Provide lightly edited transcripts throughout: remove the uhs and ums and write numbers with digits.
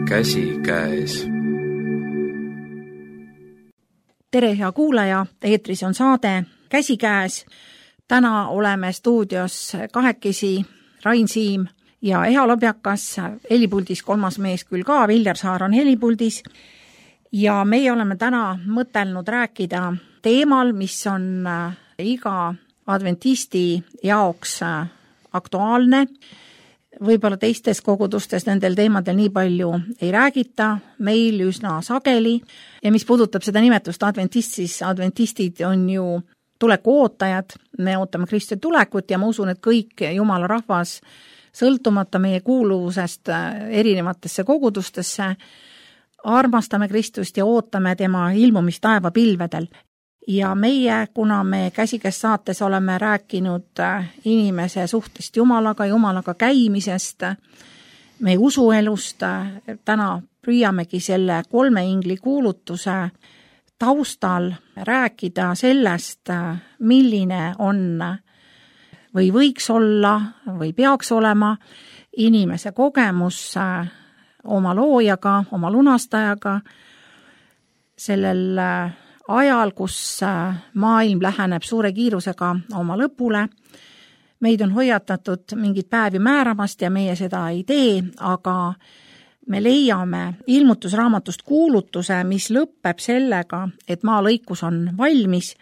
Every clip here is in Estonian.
käsikäes. Tere, hea kuulaja, eetris on saade Käsikäes. Täna oleme stuudios kahekesi Rain Siim ja Eha Lobjakas, helipuldis kolmas mees küll ka, Viljar Saar on helipuldis. Ja meie oleme täna mõtelnud rääkida teemal, mis on iga adventisti jaoks aktuaalne. Võib-olla teistes kogudustes nendel teemadel nii palju ei räägita, meil üsna sageli. Ja mis puudutab seda nimetust adventist, siis adventistid on ju tuleku ootajad. Me ootame Kristuse tulekut ja ma usun, et kõik Jumala rahvas, sõltumata meie kuuluvusest erinevatesse kogudustesse, armastame Kristust ja ootame tema ilmumist taevapilvedel. Ja meie, kuna me Käsikäes saates oleme rääkinud inimese suhtest Jumalaga käimisest, meie usuelust, täna püüamegi selle 3 ingli kuulutuse taustal rääkida sellest, milline on või võiks olla või peaks olema inimese kogemus oma loojaga, oma lunastajaga, sellel ajal, kus maailm läheneb suure kiirusega oma lõpule. Meid on hoiatatud mingid päevi määramast ja meie seda ei tee, aga me leiame ilmutusraamatust kuulutuse, mis lõpeb sellega, et maalõikus on valmis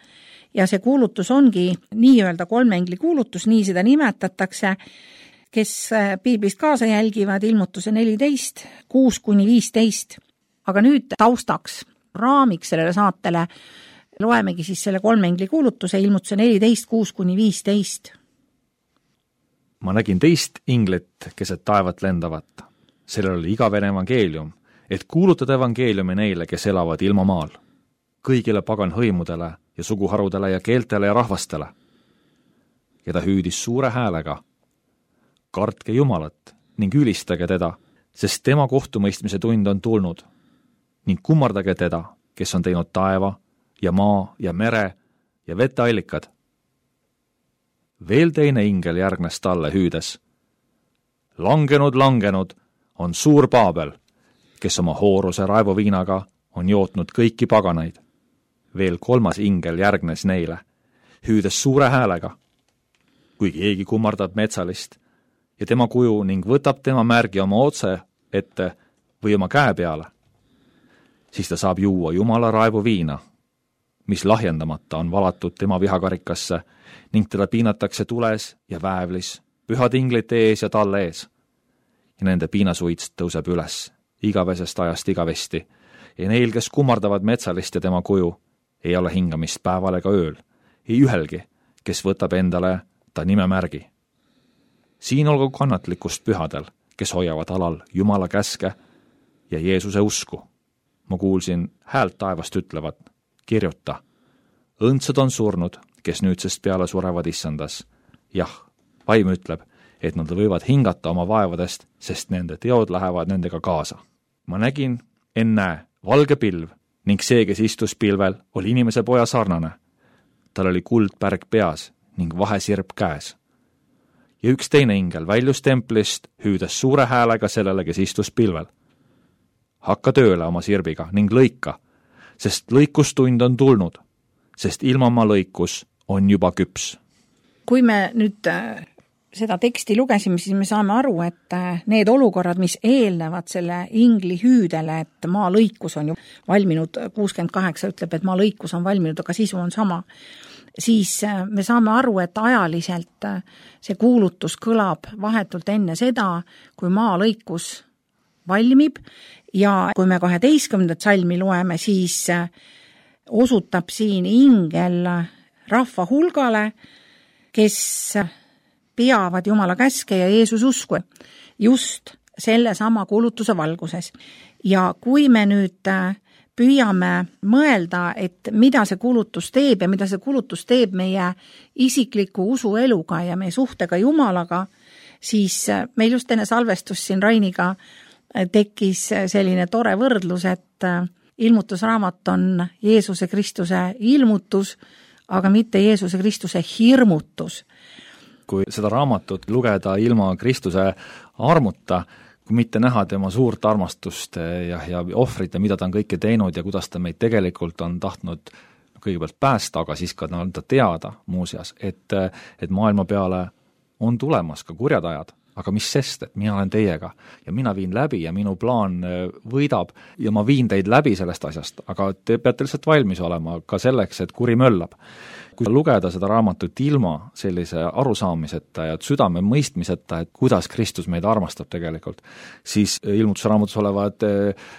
ja see kuulutus ongi nii-öelda 3 ingli kuulutus, nii seda nimetatakse, kes piiblist kaasa jälgivad ilmutuse 14, 6-15. Aga nüüd taustaks, raamiks sellele saatele loemegi siis selle 3 ingli kuulutuse ilmutuse 14, 6-15. Ma nägin teist inglit, keset taevat lendavat. Sellel oli igavene evangeelium, et kuulutada evangeeliumi neile, kes elavad ilma maal. Kõigile pagan hõimudele ja suguharudele ja keeltele ja rahvastele. Ja ta hüüdis suure häälega. Kartke Jumalat ning ülistage teda, sest tema kohtumõistmise tund on tulnud. Ning kummardage teda, kes on teinud taeva ja maa ja mere ja veteallikad. Veel teine ingel järgnes talle hüüdes. Langenud on suur Paabel, kes oma hooruse raevuviinaga on jootnud kõiki paganaid. Veel 3 ingel järgnes neile, hüüdes suure häälega. Kui keegi kummardab metsalist ja tema kuju ning võtab tema märgi oma otse ette või oma käe peale, siis ta saab juua Jumala raevuviina, mis lahjendamata on valatud tema vihakarikasse ning teda piinatakse tules ja väävlis, pühad inglite ees ja talle ees. Ja nende piinasuits tõuseb üles igavesest ajast igavesti ja neil, kes kummardavad metsalist ja tema kuju, ei ole hingamist päeval ega ööl, ei ühelgi, kes võtab endale ta nimemärgi. Siin olgu kannatlikkust pühadel, kes hoiavad alal Jumala käske ja Jeesuse usku. Ma kuulsin häält taevast ütlevat, kirjuta, õndsad on surnud, kes nüüdsest peale surevad issandas. Jah, vaim ütleb, et nad võivad hingata oma vaevadest, sest nende teod lähevad nendega kaasa. Ma nägin, ennäe, valge pilv ning see, kes istus pilvel, oli inimese poja sarnane. Tal oli kuldpärg peas ning vahesirp käes. Ja üks teine ingel väljus templist, hüüdes suure häälega sellele, kes istus pilvel. Hakka tööle oma sirbiga ning lõika, sest lõikustund on tulnud, sest ilmamaa lõikus on juba küps. Kui me nüüd seda teksti lugesime, siis me saame aru, et need olukorrad, mis eelnevad selle ingli hüüdele, et maa lõikus on ju valminud, 68 ütleb, et maa lõikus on valminud, aga sisu on sama, siis me saame aru, et ajaliselt see kuulutus kõlab vahetult enne seda, kui maa lõikus valmib ja kui me 12. salmi loeme, siis osutab siin ingel rahva hulgale, kes peavad Jumala käske ja Jeesus usku just selle sama kuulutuse valguses. Ja kui me nüüd püüame mõelda, et mida see kuulutus teeb ja mida see kuulutus teeb meie isikliku usueluga ja meie suhtega Jumalaga, siis meil just enne salvestust siin Rainiga tekkis selline tore võrdlus, et ilmutusraamat on Jeesuse Kristuse ilmutus, aga mitte Jeesuse Kristuse hirmutus. Kui seda raamatut lugeda ilma Kristuse armuta, kui mitte näha tema suurt armastust ja ohvrit ja mida ta on kõike teinud ja kuidas ta meid tegelikult on tahtnud kõigepealt päästa, aga siis ka anda teada muuseas, et maailma peale on tulemas ka kurjad ajad, aga mis sest, et mina olen teiega ja mina viin läbi ja minu plaan võidab ja ma viin teid läbi sellest asjast, aga te peate lihtsalt valmis olema ka selleks, et kuri möllab. Kui lugeda seda raamatut ilma sellise arusaamiseta ja südame mõistmiseta, et kuidas Kristus meid armastab tegelikult, siis ilmutusraamatus olevad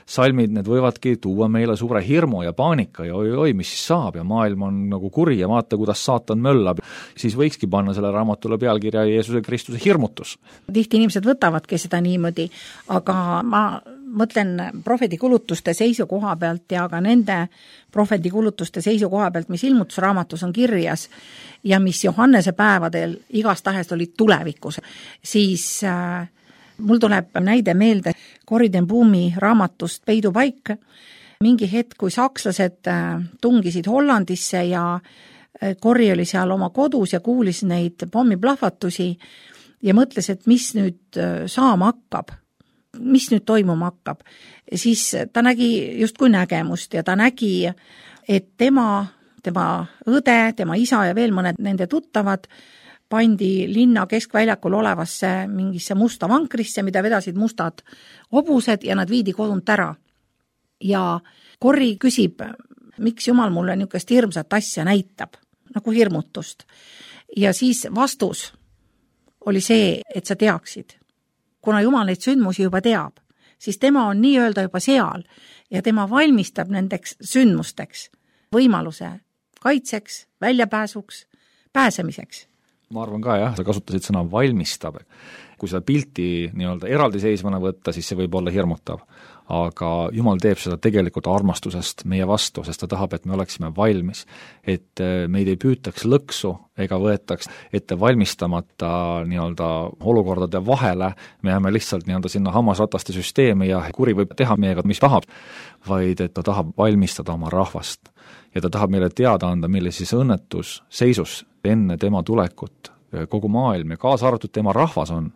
salmid, need võivadki tuua meile suure hirmu ja paanika ja oi, mis siis saab ja maailm on nagu kuri ja vaata, kuidas saatan möllab. Siis võikski panna selle raamatule pealkirja Jeesuse Kristuse hirmutus. Tihti inimesed võtavadki seda niimoodi, aga ma mõtlen prohvetikulutuste seisukoha pealt ja ka nende prohvetikulutuste seisukoha pealt, mis ilmutusraamatus on kirjas ja mis Johannese päevadel igastahes olid tulevikus, siis mul tuleb näide meelde Corrie ten Boumi raamatust Peidupaik. Mingi hetk, kui sakslased tungisid Hollandisse ja Corrie oli seal oma kodus ja kuulis neid pommiplahvatusi ja mõtles, et mis nüüd saama hakkab, mis nüüd toimuma hakkab, siis ta nägi justkui nägemust ja ta nägi, et tema õde, tema isa ja veel mõned nende tuttavad pandi linna keskväljakul olevasse mingisse musta vankrisse, mida vedasid mustad hobused ja nad viidi kodunt ära. Ja Corrie küsib, miks Jumal mulle niisugust hirmsat asja näitab, nagu hirmutust. Ja siis vastus oli see, et sa teaksid. Kuna Jumal neid sündmusi juba teab, siis tema on nii-öelda juba seal ja tema valmistab nendeks sündmusteks võimaluse kaitseks, väljapääsuks, pääsemiseks. Ma arvan ka jah, sa kasutasid sõna valmistab. Kui seda pilti nii-öelda eraldiseisvana võtta, siis see võib olla hirmutav. Aga Jumal teeb seda tegelikult armastusest meie vastu, sest ta tahab, et me oleksime valmis, et meid ei püütaks lõksu ega võetaks ette valmistamata nii-öelda olukordade vahele, me jääme lihtsalt nii-öelda sinna hammasrataste süsteemi ja kuri võib teha meiega, mis tahab, vaid et ta tahab valmistada oma rahvast ja ta tahab meile teada anda, millises õnnetus seisus enne tema tulekut kogu maailm ja kaasa arvatud tema rahvas on.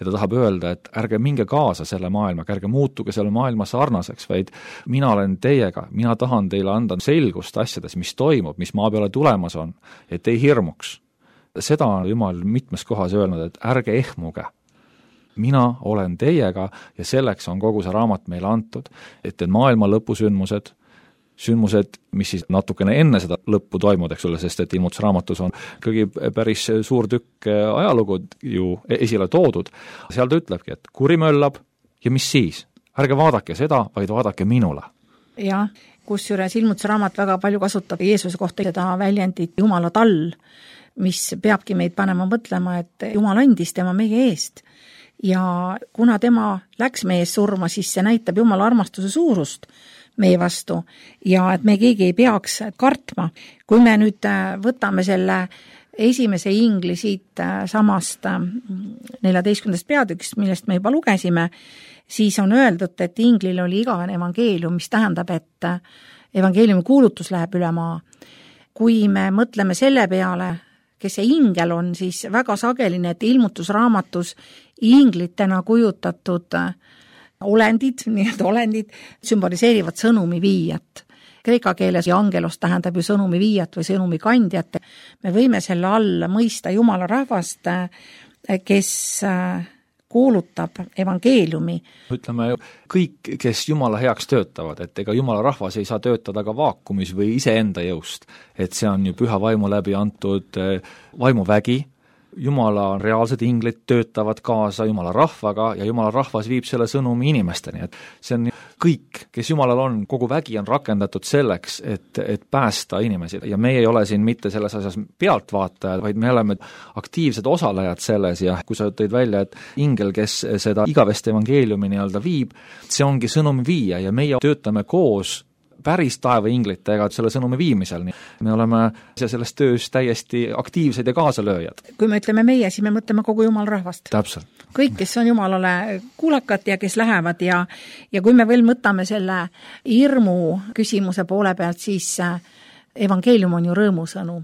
Ja ta tahab öelda, et ärge minge kaasa selle maailmaga, ärge muutuge selle maailma sarnaseks, vaid mina olen teiega, mina tahan teile anda selgust asjades, mis toimub, mis maa peale tulemas on, et ei hirmuks. Seda on Jumal mitmes kohas öelnud, et ärge ehmuge. Mina olen teiega ja selleks on kogu see raamat meile antud, et maailma lõpusündmused, mis siis natukene enne seda lõppu toimud, eks ole, sest et ilmutusraamatus on ikkagi päris suur tükk ajalugu ju esile toodud. Seal ta ütlebki, et kuri möllab ja mis siis? Ärge vaadake seda, vaid vaadake minule. Jah, kusjuures ilmutusraamat väga palju kasutab Jeesuse kohta seda väljendit Jumala tall, mis peabki meid panema mõtlema, et Jumal andis tema meie eest. Ja kuna tema läks meie eest surma, siis see näitab Jumala armastuse suurust meie vastu ja et me keegi ei peaks kartma. Kui me nüüd võtame selle esimese ingli siit samast 14. peatükist, millest me juba lugesime, siis on öeldud, et inglil oli igavene evangeelium, mis tähendab, et evangeeliumi kuulutus läheb üle maa. Kui me mõtleme selle peale, kes see ingel on, siis väga sageli need ilmutusraamatus inglitena kujutatud olendid sümboliseerivad sõnumi viijat. Kreeka keeles ja angelos tähendab ju sõnumi viijat või sõnumi kandjat. Me võime selle all mõista Jumala rahvast, kes kuulutab evangeeliumi. Ütleme, kõik, kes Jumala heaks töötavad, et ega Jumala rahvas ei saa töötada ka vaakumis või iseenda jõust, et see on ju püha vaimu läbi antud vaimuvägi. Jumala reaalsed inglid töötavad kaasa Jumala rahvaga ja Jumala rahvas viib selle sõnumi inimesteni, et see on kõik, kes Jumalal on, kogu vägi on rakendatud selleks, et päästa inimesi ja meie ei ole siin mitte selles asjas pealtvaatajad, vaid me oleme aktiivsed osalejad selles ja kui sa tõid välja, et ingel, kes seda igavest evangeeliumi nii-öelda viib, see ongi sõnumi viia ja meie töötame koos päris taevainglitega selle sõnumi viimisel. Me oleme selles töös täiesti aktiivsed ja kaasalööjad. Kui me ütleme meie, siis me mõtleme kogu Jumala rahvast. Täpselt. Kõik, kes on Jumalale kuulakad ja kes lähevad ja kui me veel mõtame selle hirmu küsimuse poole pealt, siis evangeelium on ju rõõmusõnum.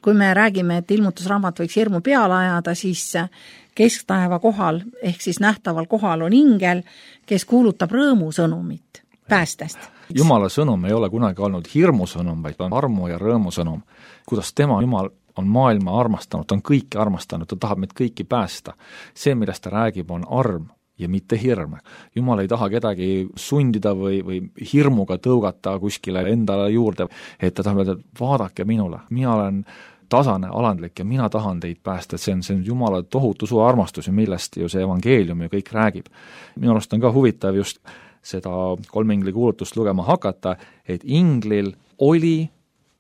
kui me räägime, et ilmutusraamat võiks hirmu peale ajada, siis kesktaeva kohal ehk siis nähtaval kohal on ingel, kes kuulutab rõõmusõnumit päästest. Jumala sõnum ei ole kunagi olnud hirmusõnum, vaid on armu ja rõõmusõnum. Kuidas tema, Jumal, on maailma armastanud, ta on kõiki armastanud, ta tahab meid kõiki päästa. See, millest ta räägib, on arm ja mitte hirm. Jumal ei taha kedagi sundida või hirmuga tõugata kuskile endale juurde, et ta tahab öelda, et vaadake minule, mina olen tasane, alandlik ja mina tahan teid päästa, et see on Jumala tohutu suur armastus ja millest ju see evangeelium ju kõik räägib. Minu arust on ka huvitav just seda kolmingli kuulutust lugema hakata, et inglil oli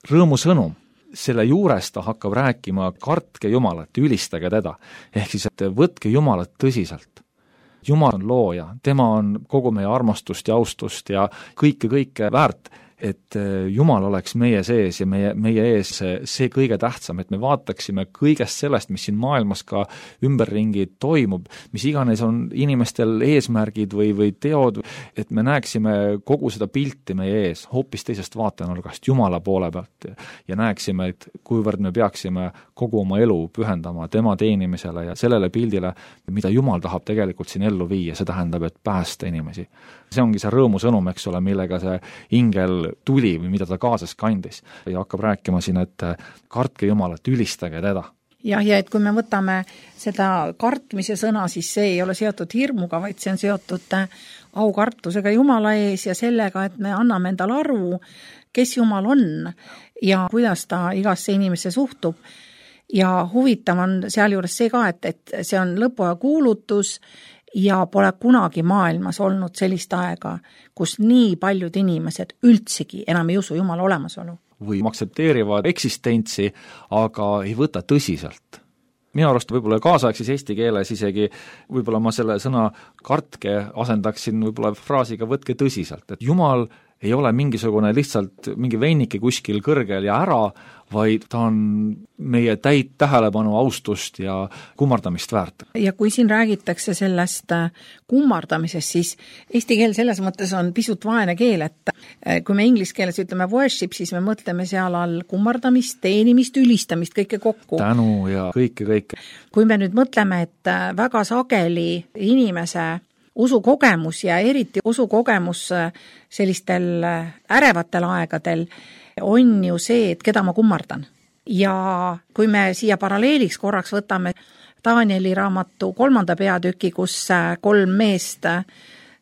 rõõmusõnum. Selle juures ta hakkab rääkima, kartke Jumalat, ülistage teda. Ehk siis, et võtke Jumalat tõsiselt. Jumal on looja, tema on kogu meie armastust ja austust ja kõike väärt, et Jumal oleks meie sees ja meie ees see kõige tähtsam, et me vaataksime kõigest sellest, mis siin maailmas ka ümberringi toimub, mis iganes on inimestel eesmärgid või teod, et me näeksime kogu seda pilti meie ees hoopis teisest vaatenurgast Jumala poole pealt ja näeksime, et kuivõrd me peaksime kogu oma elu pühendama tema teenimisele ja sellele pildile, mida Jumal tahab tegelikult siin ellu viia, see tähendab, et päästa inimesi. See ongi see rõõmusõnum, eks ole, millega see ingel tuli või mida ta kaasas kandis ja hakkab rääkima siin, et kartke Jumalat, ülistage teda. Jah, ja et kui me võtame seda kartmise sõna, siis see ei ole seotud hirmuga, vaid see on seotud aukartusega Jumala ees ja sellega, et me anname endale aru, kes Jumal on ja kuidas ta igasse inimesse suhtub. Ja huvitav on sealjuures see ka, et see on lõpuaja kuulutus ja pole kunagi maailmas olnud sellist aega, kus nii paljud inimesed üldsegi enam ei usu Jumala olemasolu. Või aktsepteerivad eksistentsi, aga ei võta tõsiselt. Minu arust võib-olla kaasaegses eesti keeles isegi võib-olla ma selle sõna kartke asendaksin võib-olla fraasiga võtke tõsiselt, et Jumal ei ole mingisugune lihtsalt mingi veinike kuskil kõrgel ja ära, vaid ta on meie täit tähelepanu, austust ja kummardamist väärt. Ja kui siin räägitakse sellest kummardamisest, siis eesti keel selles mõttes on pisut vaene keel, et kui me inglise keeles ütleme worship, siis me mõtleme seal all kummardamist, teenimist, ülistamist, kõike kokku. Tänu ja kõike. Kui me nüüd mõtleme, et väga sageli inimese usukogemus ja eriti usukogemus sellistel ärevatel aegadel on ju see, et keda ma kummardan. Ja kui me siia paralleeliks korraks võtame Danieli raamatu 3. peatüki, kus 3 meest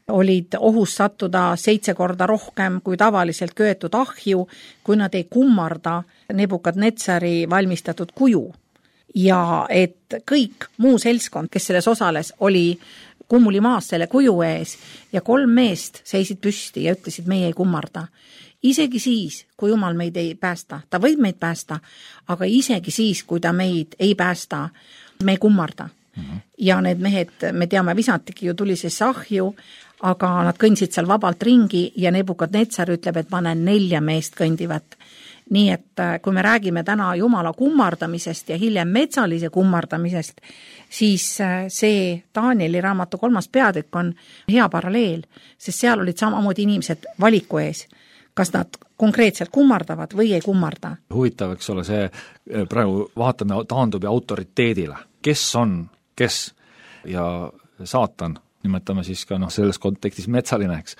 olid ohus sattuda 7 korda rohkem kui tavaliselt köetud ahju, kui nad ei kummarda Nebukadnetsari valmistatud kuju. Ja et kõik muu seltskond, kes selles osales, oli kummuli maas selle kuju ees ja 3 meest seisid püsti ja ütlesid, meie ei kummarda. Isegi siis, kui Jumal meid ei päästa, ta võib meid päästa, aga isegi siis, kui ta meid ei päästa, me ei kummarda. Ja need mehed, me teame, visatigi ju tulisesse ahju, aga nad kõndsid seal vabalt ringi ja Nebukadnetsar ütleb, et ma näen 4 meest kõndivat. Nii et kui me räägime täna Jumala kummardamisest ja hiljem metsalise kummardamisest, siis see Danieli raamatu 3. peatükk on hea paralleel, sest seal olid samamoodi inimesed valiku ees, kas nad konkreetselt kummardavad või ei kummarda. Huvitav, eks ole, see praegu vaatame taandub ja autoriteedile. Kes on, kes ja saatan, nimetame siis ka selles kontekstis metsalineks,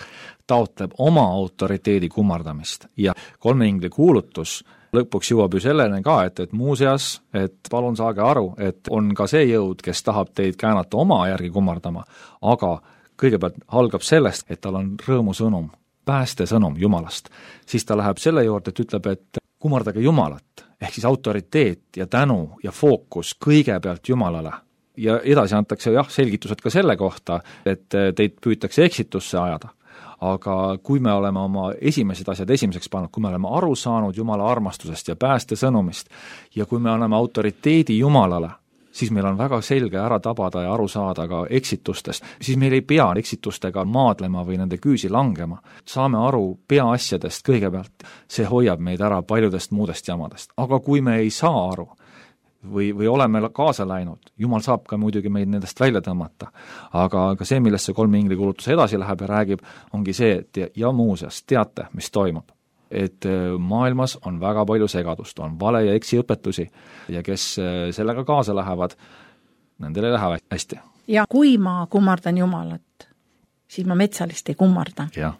taotleb oma autoriteedi kummardamist ja 3 ingli kuulutus lõpuks jõuab ju sellene ka, et muuseas, et palun saage aru, et on ka see jõud, kes tahab teid käänata oma järgi kummardama, aga kõigepealt algab sellest, et tal on rõõmusõnum, päästesõnum Jumalast. Siis ta läheb selle juurde, et ütleb, et kummardage Jumalat, ehk siis autoriteet ja tänu ja fookus kõigepealt Jumalale. Ja edasi antakse selgitused ka selle kohta, et teid püütakse eksitusse ajada. Aga kui me oleme oma esimesed asjad esimeseks pannud, kui me oleme aru saanud Jumala armastusest ja päästesõnumist ja kui me anname autoriteedi Jumalale, siis meil on väga selge ära tabada ja aru saada ka eksitustest. Siis meil ei pea eksitustega maadlema või nende küüsi langema. Saame aru peaasjadest kõigepealt. See hoiab meid ära paljudest muudest jamadest. Aga kui me ei saa aru või oleme kaasa läinud, Jumal saab ka muidugi meid nendest välja tõmmata. Aga see, millest see 3 ingli kuulutus edasi läheb ja räägib, ongi see, et ja muuseas teate, mis toimub. et maailmas on väga palju segadust, on vale ja eksiõpetusi ja kes sellega kaasa lähevad, nendel ei lähe hästi. Ja kui ma kummardan Jumalat, siis ma metsalist ei kummarda. Jah.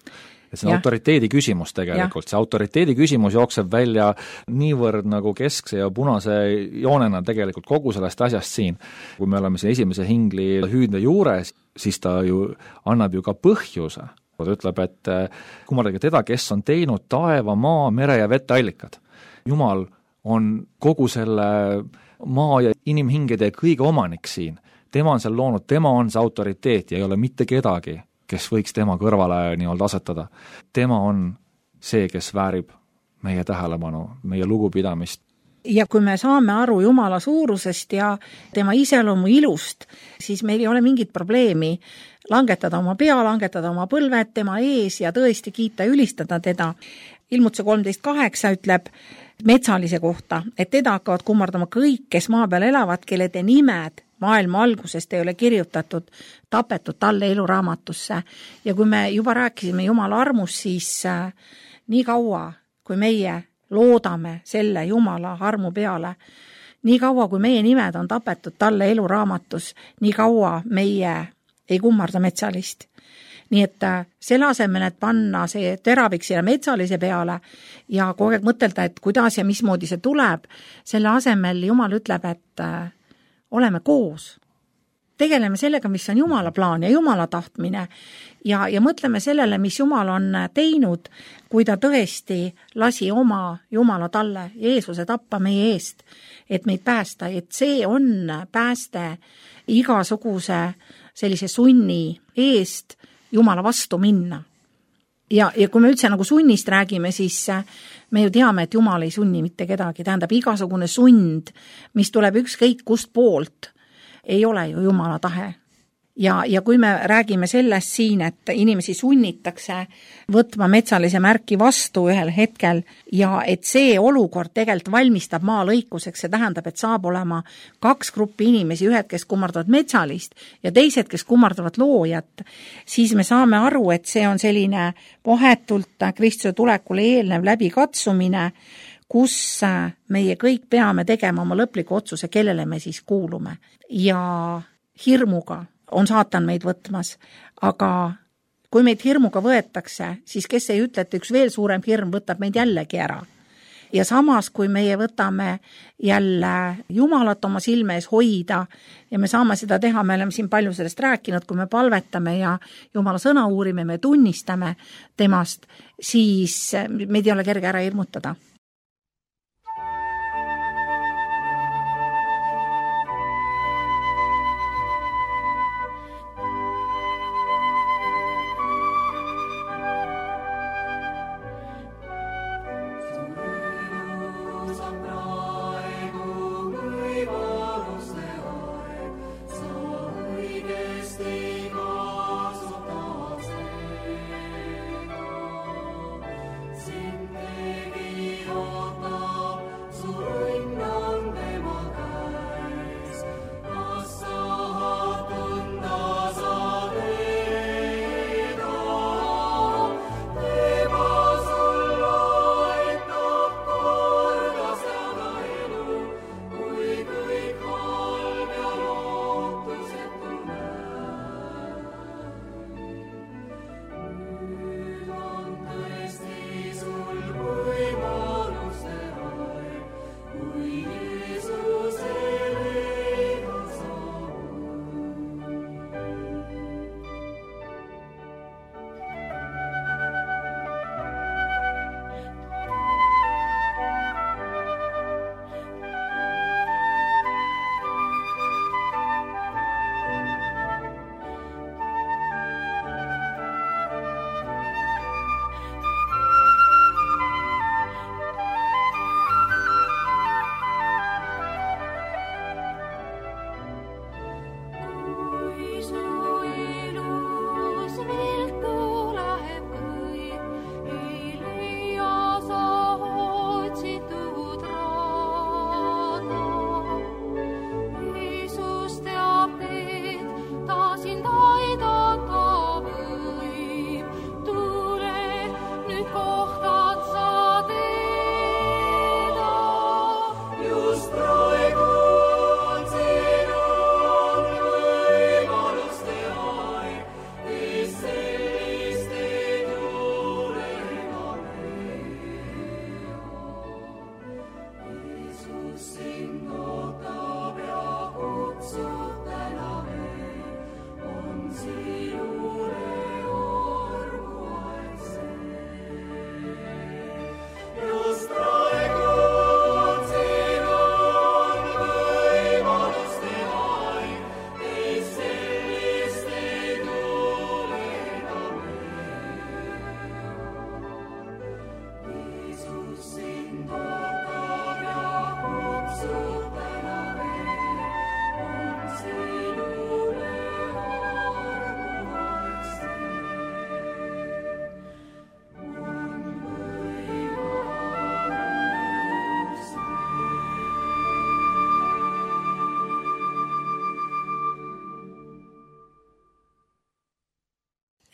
Et see on autoriteedi küsimus tegelikult, see autoriteedi küsimus jookseb välja niivõrd nagu keskse ja punase joonena tegelikult kogu sellest asjast siin. Kui me oleme siin esimese hingli hüüdne juures, siis ta ju annab ju ka põhjuse. Ta ütleb, et kummardage teda, kes on teinud taeva, maa, mere ja veteallikad. Jumal on kogu selle maa ja inimhingede kõige omanik siin. Tema on seal loonud, tema on see autoriteet ja ei ole mitte kedagi, kes võiks tema kõrvale nii-öelda asetada. Tema on see, kes väärib meie tähelepanu, meie lugupidamist. Ja kui me saame aru Jumala suurusest ja tema iseloomu ilust, siis meil ei ole mingit probleemi langetada oma pea, langetada oma põlved tema ees ja tõesti kiita ja ülistada teda. Ilmutuse 13.8 ütleb metsalise kohta, et teda hakkavad kummardama kõik, kes maa peal elavad, kelle te nimed maailma algusest ei ole kirjutatud, tapetud talle eluraamatusse. Ja kui me juba rääkisime Jumala armust, siis nii kaua, kui meie loodame selle Jumala armu peale, nii kaua, kui meie nimed on tapetud talle eluraamatus, nii kaua meie ei kummarda metsalist. Nii et selle asemel, et panna see teravik selle metsalise peale ja kogu aeg mõtelda, et kuidas ja mismoodi see tuleb, selle asemel Jumal ütleb, et oleme koos. Tegeleme sellega, mis on Jumala plaan ja Jumala tahtmine ja mõtleme sellele, mis Jumal on teinud, kui ta tõesti lasi oma Jumala talle Jeesuse tappa meie eest, et meid päästa, et see on pääste igasuguse sellise sunni eest Jumala vastu minna. Ja kui me üldse nagu sunnist räägime, siis me ju teame, et Jumal ei sunni mitte kedagi. Tähendab, igasugune sund, mis tuleb ükskõik kust poolt, ei ole ju Jumala tahe. Ja kui me räägime sellest siin, et inimesi sunnitakse võtma metsalise märki vastu ühel hetkel ja et see olukord tegelikult valmistab maa lõikuseks, see tähendab, et saab olema 2 gruppi inimesi, ühed, kes kummardavad metsalist ja teised, kes kummardavad loojat, siis me saame aru, et see on selline vahetult Kristuse tulekule eelnev läbikatsumine, kus meie kõik peame tegema oma lõpliku otsuse, kellele me siis kuulume. Ja hirmuga on saatan meid võtmas, aga kui meid hirmuga võetakse, siis kes ei ütle, et üks veel suurem hirm võtab meid jällegi ära. Ja samas, kui meie võtame jälle Jumalat oma silme ees hoida ja me saame seda teha, me oleme siin palju sellest rääkinud, kui me palvetame ja Jumala sõna uurime, me tunnistame temast, siis meid ei ole kerge ära hirmutada.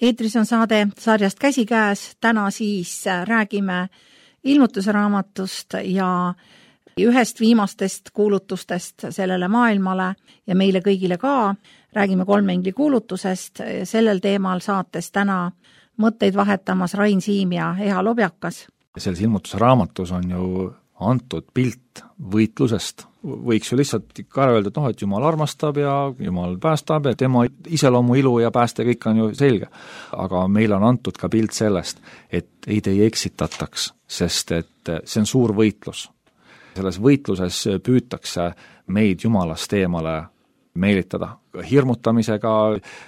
Eetris on saade sarjast Käsikäes, täna siis räägime ilmutuse raamatust ja ühest viimastest kuulutustest sellele maailmale ja meile kõigile ka. Räägime 3 engli kuulutusest, sellel teemal saates täna mõtteid vahetamas Rain Siim ja Eha Lobjakas. Selles ilmutuse raamatus on ju antud pilt võitlusest. Võiks ju lihtsalt ikka öelda, et Jumal armastab ja Jumal päästab ja tema iseloomu, ilu ja pääste kõik on ju selge. Aga meil on antud ka pilt sellest, et ei eksitataks, sest et see on suur võitlus. Selles võitluses püütakse meid Jumalast eemale meelitada hirmutamisega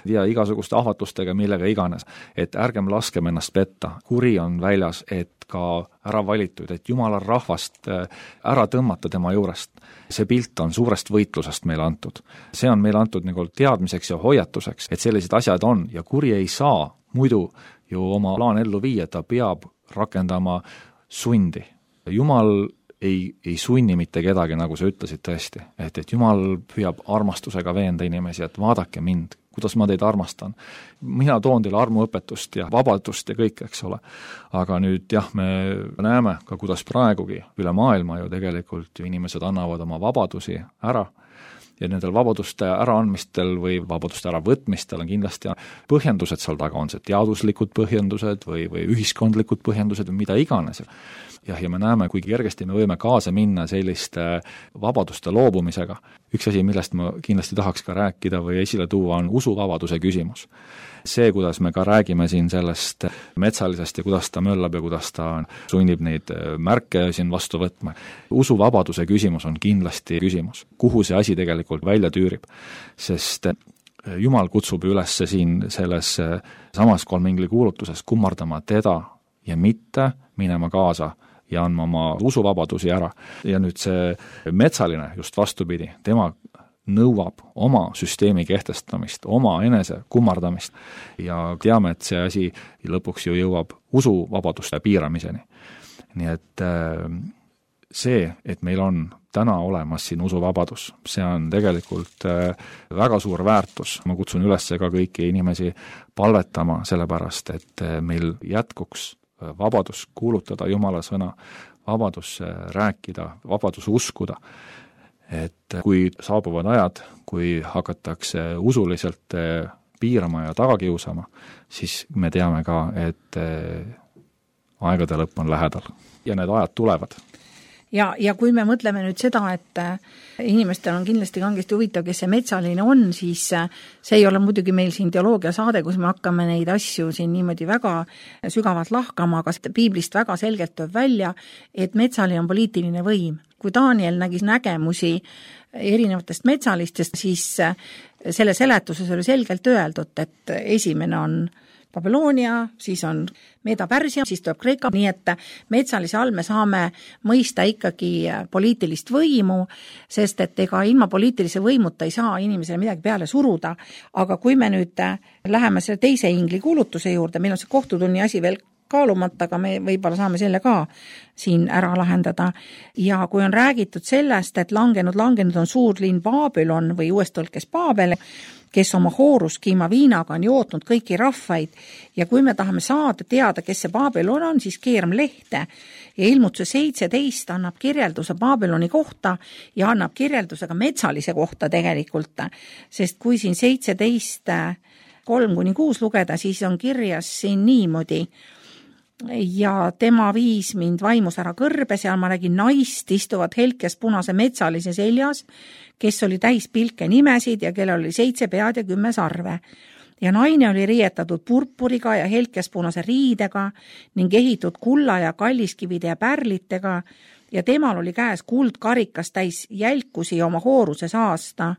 ja igasuguste ahvatlustega, millega iganes. Et ärgem laskem ennast petta. Kuri on väljas, et ka ära valitud, et Jumala rahvast ära tõmmata tema juurest. See pilt on suurest võitlusest meile antud. See on meile antud nagu teadmiseks ja hoiatuseks, et sellised asjad on ja kuri ei saa muidu ju oma plaan ellu viia, ta peab rakendama sundi. Jumal ei sunni mitte kedagi, nagu sa ütlesid tõesti, et Jumal püüab armastusega veenda inimesi, et vaadake mind, kuidas ma teid armastan. Mina toon teile armuõpetust ja vabadust ja kõik, eks ole. Aga nüüd jah, me näeme ka, kuidas praegugi üle maailma ju tegelikult ju inimesed annavad oma vabadusi ära ja nendel vabaduste äraandmistel või vabaduste äravõtmistel on kindlasti põhjendused seal taga, on see teaduslikud põhjendused või ühiskondlikud põhjendused või mida iganes. Ja me näeme, kui kergesti me võime kaasa minna selliste vabaduste loobumisega. Üks asi, millest ma kindlasti tahaks ka rääkida või esile tuua, on usuvabaduse küsimus. See, kuidas me ka räägime siin sellest metsalisest ja kuidas ta möllab ja kuidas ta sunnib neid märke siin vastu võtma. Usuvabaduse küsimus on kindlasti küsimus, kuhu see asi tegelikult välja tüürib, sest Jumal kutsub üles siin selles samas 3 engli kuulutuses kummardama teda ja mitte minema kaasa ja andma oma usuvabadusi ära. Ja nüüd see metsaline just vastupidi, tema nõuab oma süsteemi kehtestamist, oma enese kummardamist ja teame, et see asi lõpuks ju jõuab usuvabaduste piiramiseni. Nii et see, et meil on täna olemas siin usuvabadus, see on tegelikult väga suur väärtus. Ma kutsun üles ka kõiki inimesi palvetama sellepärast, et meil jätkuks vabadus kuulutada Jumala sõna, vabadus rääkida, vabadus uskuda. Et kui saabuvad ajad, kui hakatakse usuliselt piirama ja tagakiusama, siis me teame ka, et aegade lõpp on lähedal ja need ajad tulevad. Ja kui me mõtleme nüüd seda, et inimestel on kindlasti kangesti huvitav, kes see metsaline on, siis see ei ole muidugi meil siin teoloogia saade, kus me hakkame neid asju siin niimoodi väga sügavalt lahkama, aga piiblist väga selgelt tuleb välja, et metsaline on poliitiline võim. Kui Daniel nägi nägemusi erinevatest metsalistest, siis selle seletuses oli selgelt öeldud, et esimene on Babyloonia, siis on Meeda-Pärsia, siis tuleb Kreeka, nii et metsalise all me saame mõista ikkagi poliitilist võimu, sest et ega ilma poliitilise võimuta ei saa inimesele midagi peale suruda, aga kui me nüüd läheme selle teise ingli kuulutuse juurde, meil on see kohtutunni asi veel kaalumata, aga me võib-olla saame selle ka siin ära lahendada. Ja kui on räägitud sellest, et langenud on suur linn Babylon või uues tõlkes Paabel, kes oma hooruskiima viinaga on jootnud kõiki rahvaid ja kui me tahame saada teada, kes see Babylon on, siis keerame lehte ja ilmutuse 17 annab kirjelduse Babyloni kohta ja annab kirjelduse ka metsalise kohta tegelikult, sest kui siin 17:3-6 lugeda, siis on kirjas siin niimoodi: ja tema viis mind vaimus ära kõrbe, seal ma nägin naist istuvat helkes punase metsalise seljas, kes oli täis pilke nimesid ja kellel oli 7 pead ja 10 sarve. Ja naine oli riietatud purpuriga ja helkes punase riidega ning ehitud kulla ja kalliskivide ja pärlitega ja temal oli käes kuldkarikas täis jälkusi oma hooruse saasta.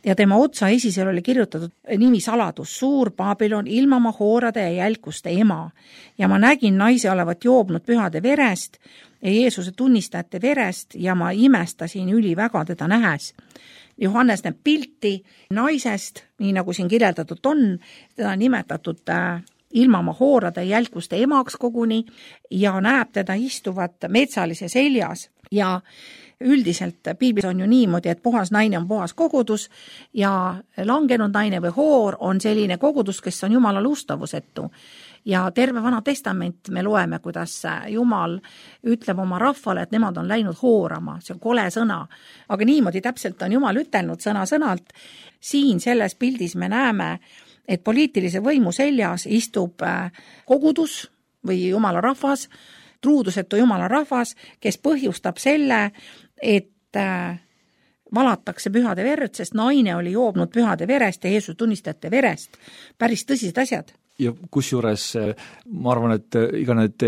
Ja tema otsa esisel oli kirjutatud nimi saladus, suur Babylon, ilma oma hoorade ja jälkuste ema. Ja ma nägin naise olevat joobnud pühade verest ja Jeesuse tunnistajate verest ja ma imestasin üliväga teda nähes. Johannes näeb pilti naisest, nii nagu siin kirjeldatud on, teda nimetatud ilma oma hoorade ja jälkuste emaks koguni ja näeb teda istuvat metsalise seljas ja üldiselt piiblis on ju niimoodi, et puhas naine on puhas kogudus ja langenud naine või hoor on selline kogudus, kes on Jumalale ustavusetu. Ja terve Vana Testament me loeme, kuidas Jumal ütleb oma rahvale, et nemad on läinud hoorama, see on kole sõna. Aga niimoodi täpselt on Jumal ütelnud sõna-sõnalt. Siin selles pildis me näeme, et poliitilise võimu seljas istub kogudus või Jumala rahvas, truudusetu Jumala rahvas, kes põhjustab selle, et valatakse pühade verd, sest naine oli joobnud pühade verest ja Jeesus tunnistajate verest. Päris tõsised asjad. Ja kusjuures ma arvan, et iga need,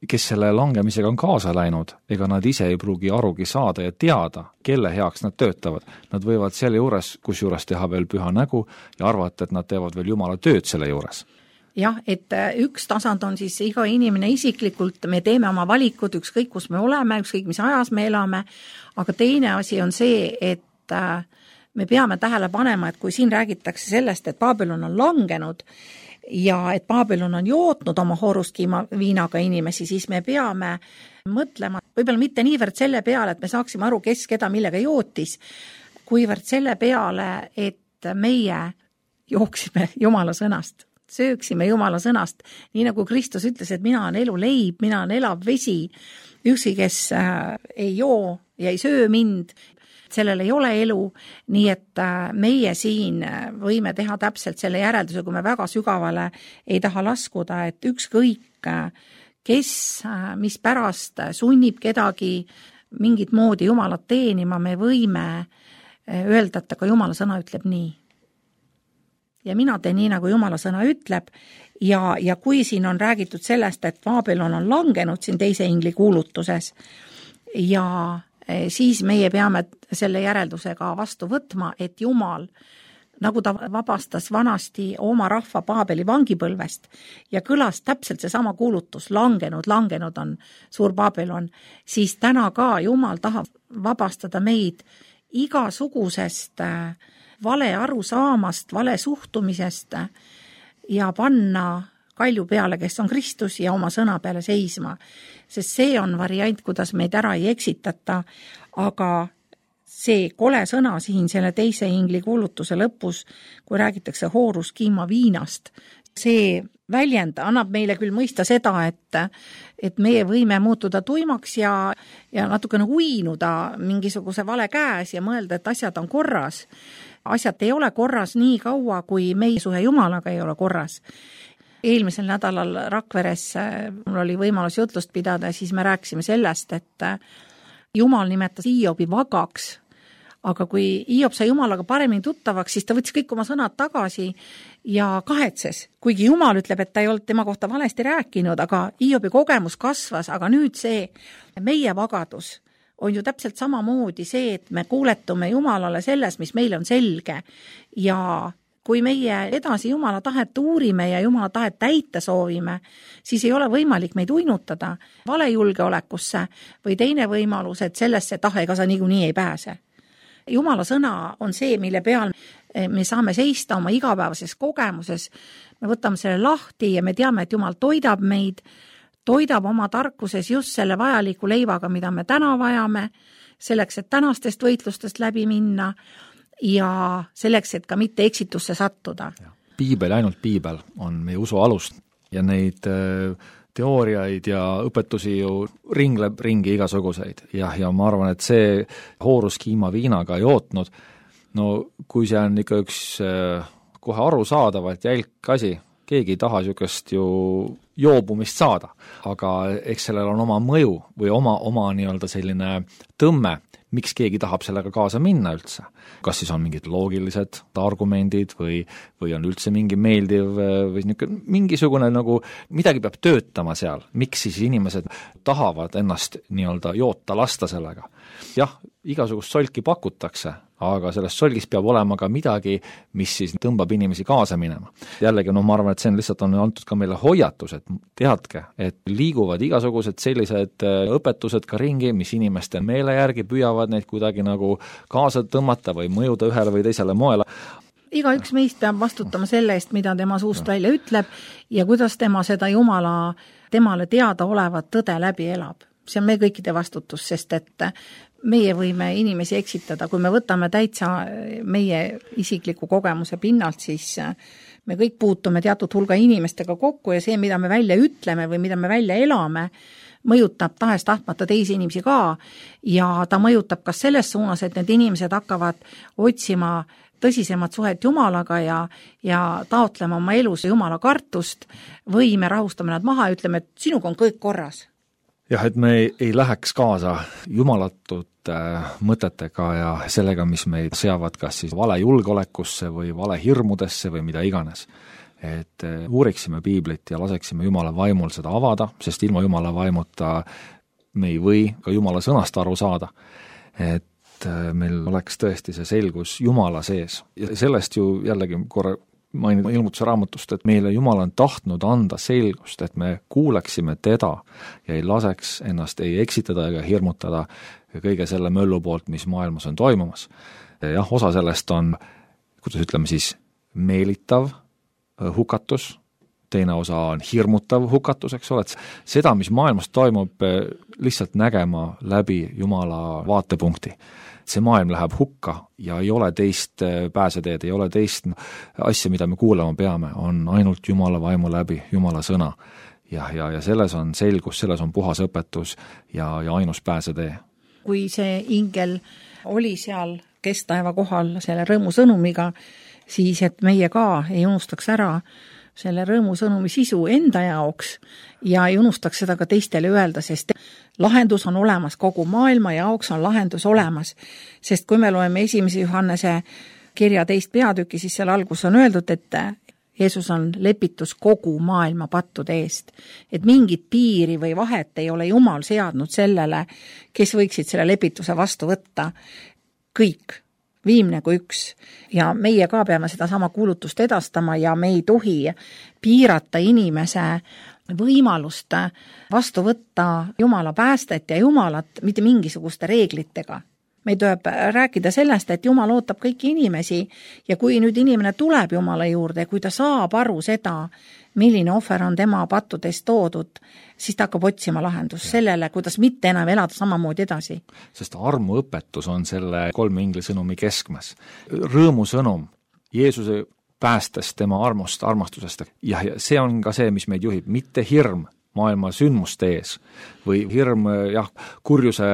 kes selle langemisega on kaasa läinud, ega nad ise ei pruugi arugi saada ja teada, kelle heaks nad töötavad. Nad võivad selle juures, kusjuures teha veel püha nägu ja arvata, et nad teevad veel Jumala tööd selle juures. Jah, et üks tasand on siis iga inimene isiklikult, me teeme oma valikud, ükskõik kus me oleme, ükskõik mis ajas me elame, aga teine asi on see, et me peame tähele panema, et kui siin räägitakse sellest, et Babylon on langenud ja et Babylon on jootnud oma hooruskiima viinaga inimesi, siis me peame mõtlema, võib-olla mitte niivõrd selle peale, et me saaksime aru, kes keda millega jootis, kuivõrd selle peale, et meie jooksime Jumala sõnast. Sööksime Jumala sõnast, nii nagu Kristus ütles, et mina on elu leib, mina on elav vesi, ükski, kes ei joo ja ei söö mind, sellel ei ole elu, nii et meie siin võime teha täpselt selle järelduse, kui me väga sügavale ei taha laskuda, et ükskõik, kes, mis pärast sunnib kedagi mingit moodi Jumalat teenima, me võime öelda, et ka Jumala sõna ütleb nii. Ja mina teen nii, nagu Jumala sõna ütleb ja kui siin on räägitud sellest, et Babylon on langenud siin teise ingli kuulutuses ja siis meie peame selle järeldusega vastu võtma, et Jumal, nagu ta vabastas vanasti oma rahva Babeli vangipõlvest ja kõlas täpselt seesama kuulutus, langenud on suur Babylon, siis täna ka Jumal tahab vabastada meid igasugusest vale arusaamast, vale suhtumisest ja panna kalju peale, kes on Kristus ja oma sõna peale seisma. Sest see on variant, kuidas meid ära ei eksitata, aga see kole sõna siin selle teise ingli kuulutuse lõpus, kui räägitakse hooruskiima viinast, see väljend annab meile küll mõista seda, et meie võime muutuda tuimaks ja natukene uinuda mingisuguse vale käes ja mõelda, et asjad on korras. Asjad ei ole korras nii kaua, kui meie suhe Jumalaga ei ole korras. Eelmisel nädalal Rakveres mul oli võimalus jutlust pidada ja siis me rääkisime sellest, et Jumal nimetas Hiobi vagaks, aga kui Hiob sai Jumalaga paremini tuttavaks, siis ta võttis kõik oma sõnad tagasi ja kahetses. Kuigi Jumal ütleb, et ta ei olnud tema kohta valesti rääkinud, aga Hiobi kogemus kasvas, aga nüüd see meie vagadus on ju täpselt samamoodi see, et me kuuletume Jumalale selles, mis meile on selge ja kui meie edasi Jumala tahet uurime ja Jumala tahet täita soovime, siis ei ole võimalik meid uinutada valejulgeolekusse või teine võimalus, et sellesse ega sa niikuinii ei pääse. Jumala sõna on see, mille peal me saame seista oma igapäevases kogemuses, me võtame selle lahti ja me teame, et Jumal toidab meid, toidab oma tarkuses just selle vajaliku leivaga, mida me täna vajame, selleks, et tänastest võitlustest läbi minna ja selleks, et ka mitte eksitusse sattuda. Piibel, ainult piibel on meie usu alust ja neid teooriaid ja õpetusi ju ringleb ringi igasuguseid. Ja ma arvan, et see hooruskiima viinaga jootnud, no kui see on ikka üks kohe arusaadavalt jälk asi, keegi ei taha niisugust ju joobumist saada, aga eks sellel on oma mõju või oma nii-öelda selline tõmme, miks keegi tahab sellega kaasa minna üldse. Kas siis on mingid loogilised argumendid või on üldse mingi meeldiv või mingisugune nagu midagi peab töötama seal, miks siis inimesed tahavad ennast nii-öelda joota lasta sellega. Jah, igasugust solki pakutakse, aga sellest solgist peab olema ka midagi, mis siis tõmbab inimesi kaasa minema. Jällegi, ma arvan, et see lihtsalt on antud ka meile hoiatus, et teadke, et liiguvad igasugused sellised õpetused ka ringi, mis inimeste meele järgi püüavad neid kuidagi nagu kaasa tõmmata või mõjuda ühele või teisele moele. Igaüks meist peab vastutama selle eest, mida tema suust välja ütleb ja kuidas tema seda temale teada olevat tõde läbi elab. See on meie kõikide vastutus, sest et meie võime inimesi eksitada, kui me võtame täitsa meie isikliku kogemuse pinnalt, siis me kõik puutume teatud hulga inimestega kokku ja see, mida me välja ütleme või mida me välja elame, mõjutab tahes-tahtmata teisi inimesi ka ja ta mõjutab kas selles suunas, et need inimesed hakkavad otsima tõsisemat suhet Jumalaga ja taotlema oma elus Jumala kartust või me rahustame nad maha ja ütleme, et sinuga on kõik korras. Jah, et me ei läheks kaasa jumalatute mõtetega ja sellega, mis meid seavad kas siis vale julgeolekusse või vale hirmudesse või mida iganes. Et uuriksime piiblit ja laseksime Jumala vaimul seda avada, sest ilma Jumala vaimuta me ei või ka Jumala sõnast aru saada. Et meil oleks tõesti see selgus Jumala sees. Ja sellest ju jällegi korra mainin ilmutuse raamatust, et meile Jumal on tahtnud anda selgust, et me kuuleksime teda ja ei laseks ennast ei eksitada ega hirmutada kõige selle möllu poolt, mis maailmas on toimumas. Jah, osa sellest on, kuidas ütleme siis, meelitav hukatus, teine osa on hirmutav hukatus, eks ole, et seda, mis maailmas toimub, lihtsalt nägema läbi Jumala vaatepunkti. See maailm läheb hukka ja ei ole teist pääseteed, ei ole teist asja, mida me kuulama peame, on ainult Jumala vaimu läbi, Jumala sõna. Ja selles on selgus, selles on puhas õpetus ja ainus pääsetee. Kui see ingel oli seal kestaeva kohal selle rõõmusõnumiga, siis et meie ka ei unustaks ära selle rõõmusõnumi sisu enda jaoks ja ei unustaks seda ka teistele öelda, sest lahendus on olemas, kogu maailma jaoks on lahendus olemas. Sest kui me loeme 1. Johannese kirja 2. peatüki, siis seal algus on öeldud, et Jeesus on lepitus kogu maailma pattude eest. Et mingit piiri või vahet ei ole Jumal seadnud sellele, kes võiksid selle lepituse vastu võtta. Kõik. Viimne kui üks ja meie ka peame seda sama kuulutust edastama ja me ei tohi piirata inimese võimalust vastu võtta Jumala päästet ja Jumalat mitte mingisuguste reeglitega. Me tuleb rääkida sellest, et Jumal ootab kõiki inimesi ja kui nüüd inimene tuleb Jumala juurde, kui ta saab aru seda, milline ohver on tema pattudest toodud, siis ta hakkab otsima lahendust sellele, kuidas mitte enam elada samamoodi edasi. Sest armuõpetus on selle 3 inglisõnumi keskmes. Rõõmusõnum Jeesuse päästest, tema armust, armastusest ja see on ka see, mis meid juhib, mitte hirm maailma sündmuste ees või hirm, kurjuse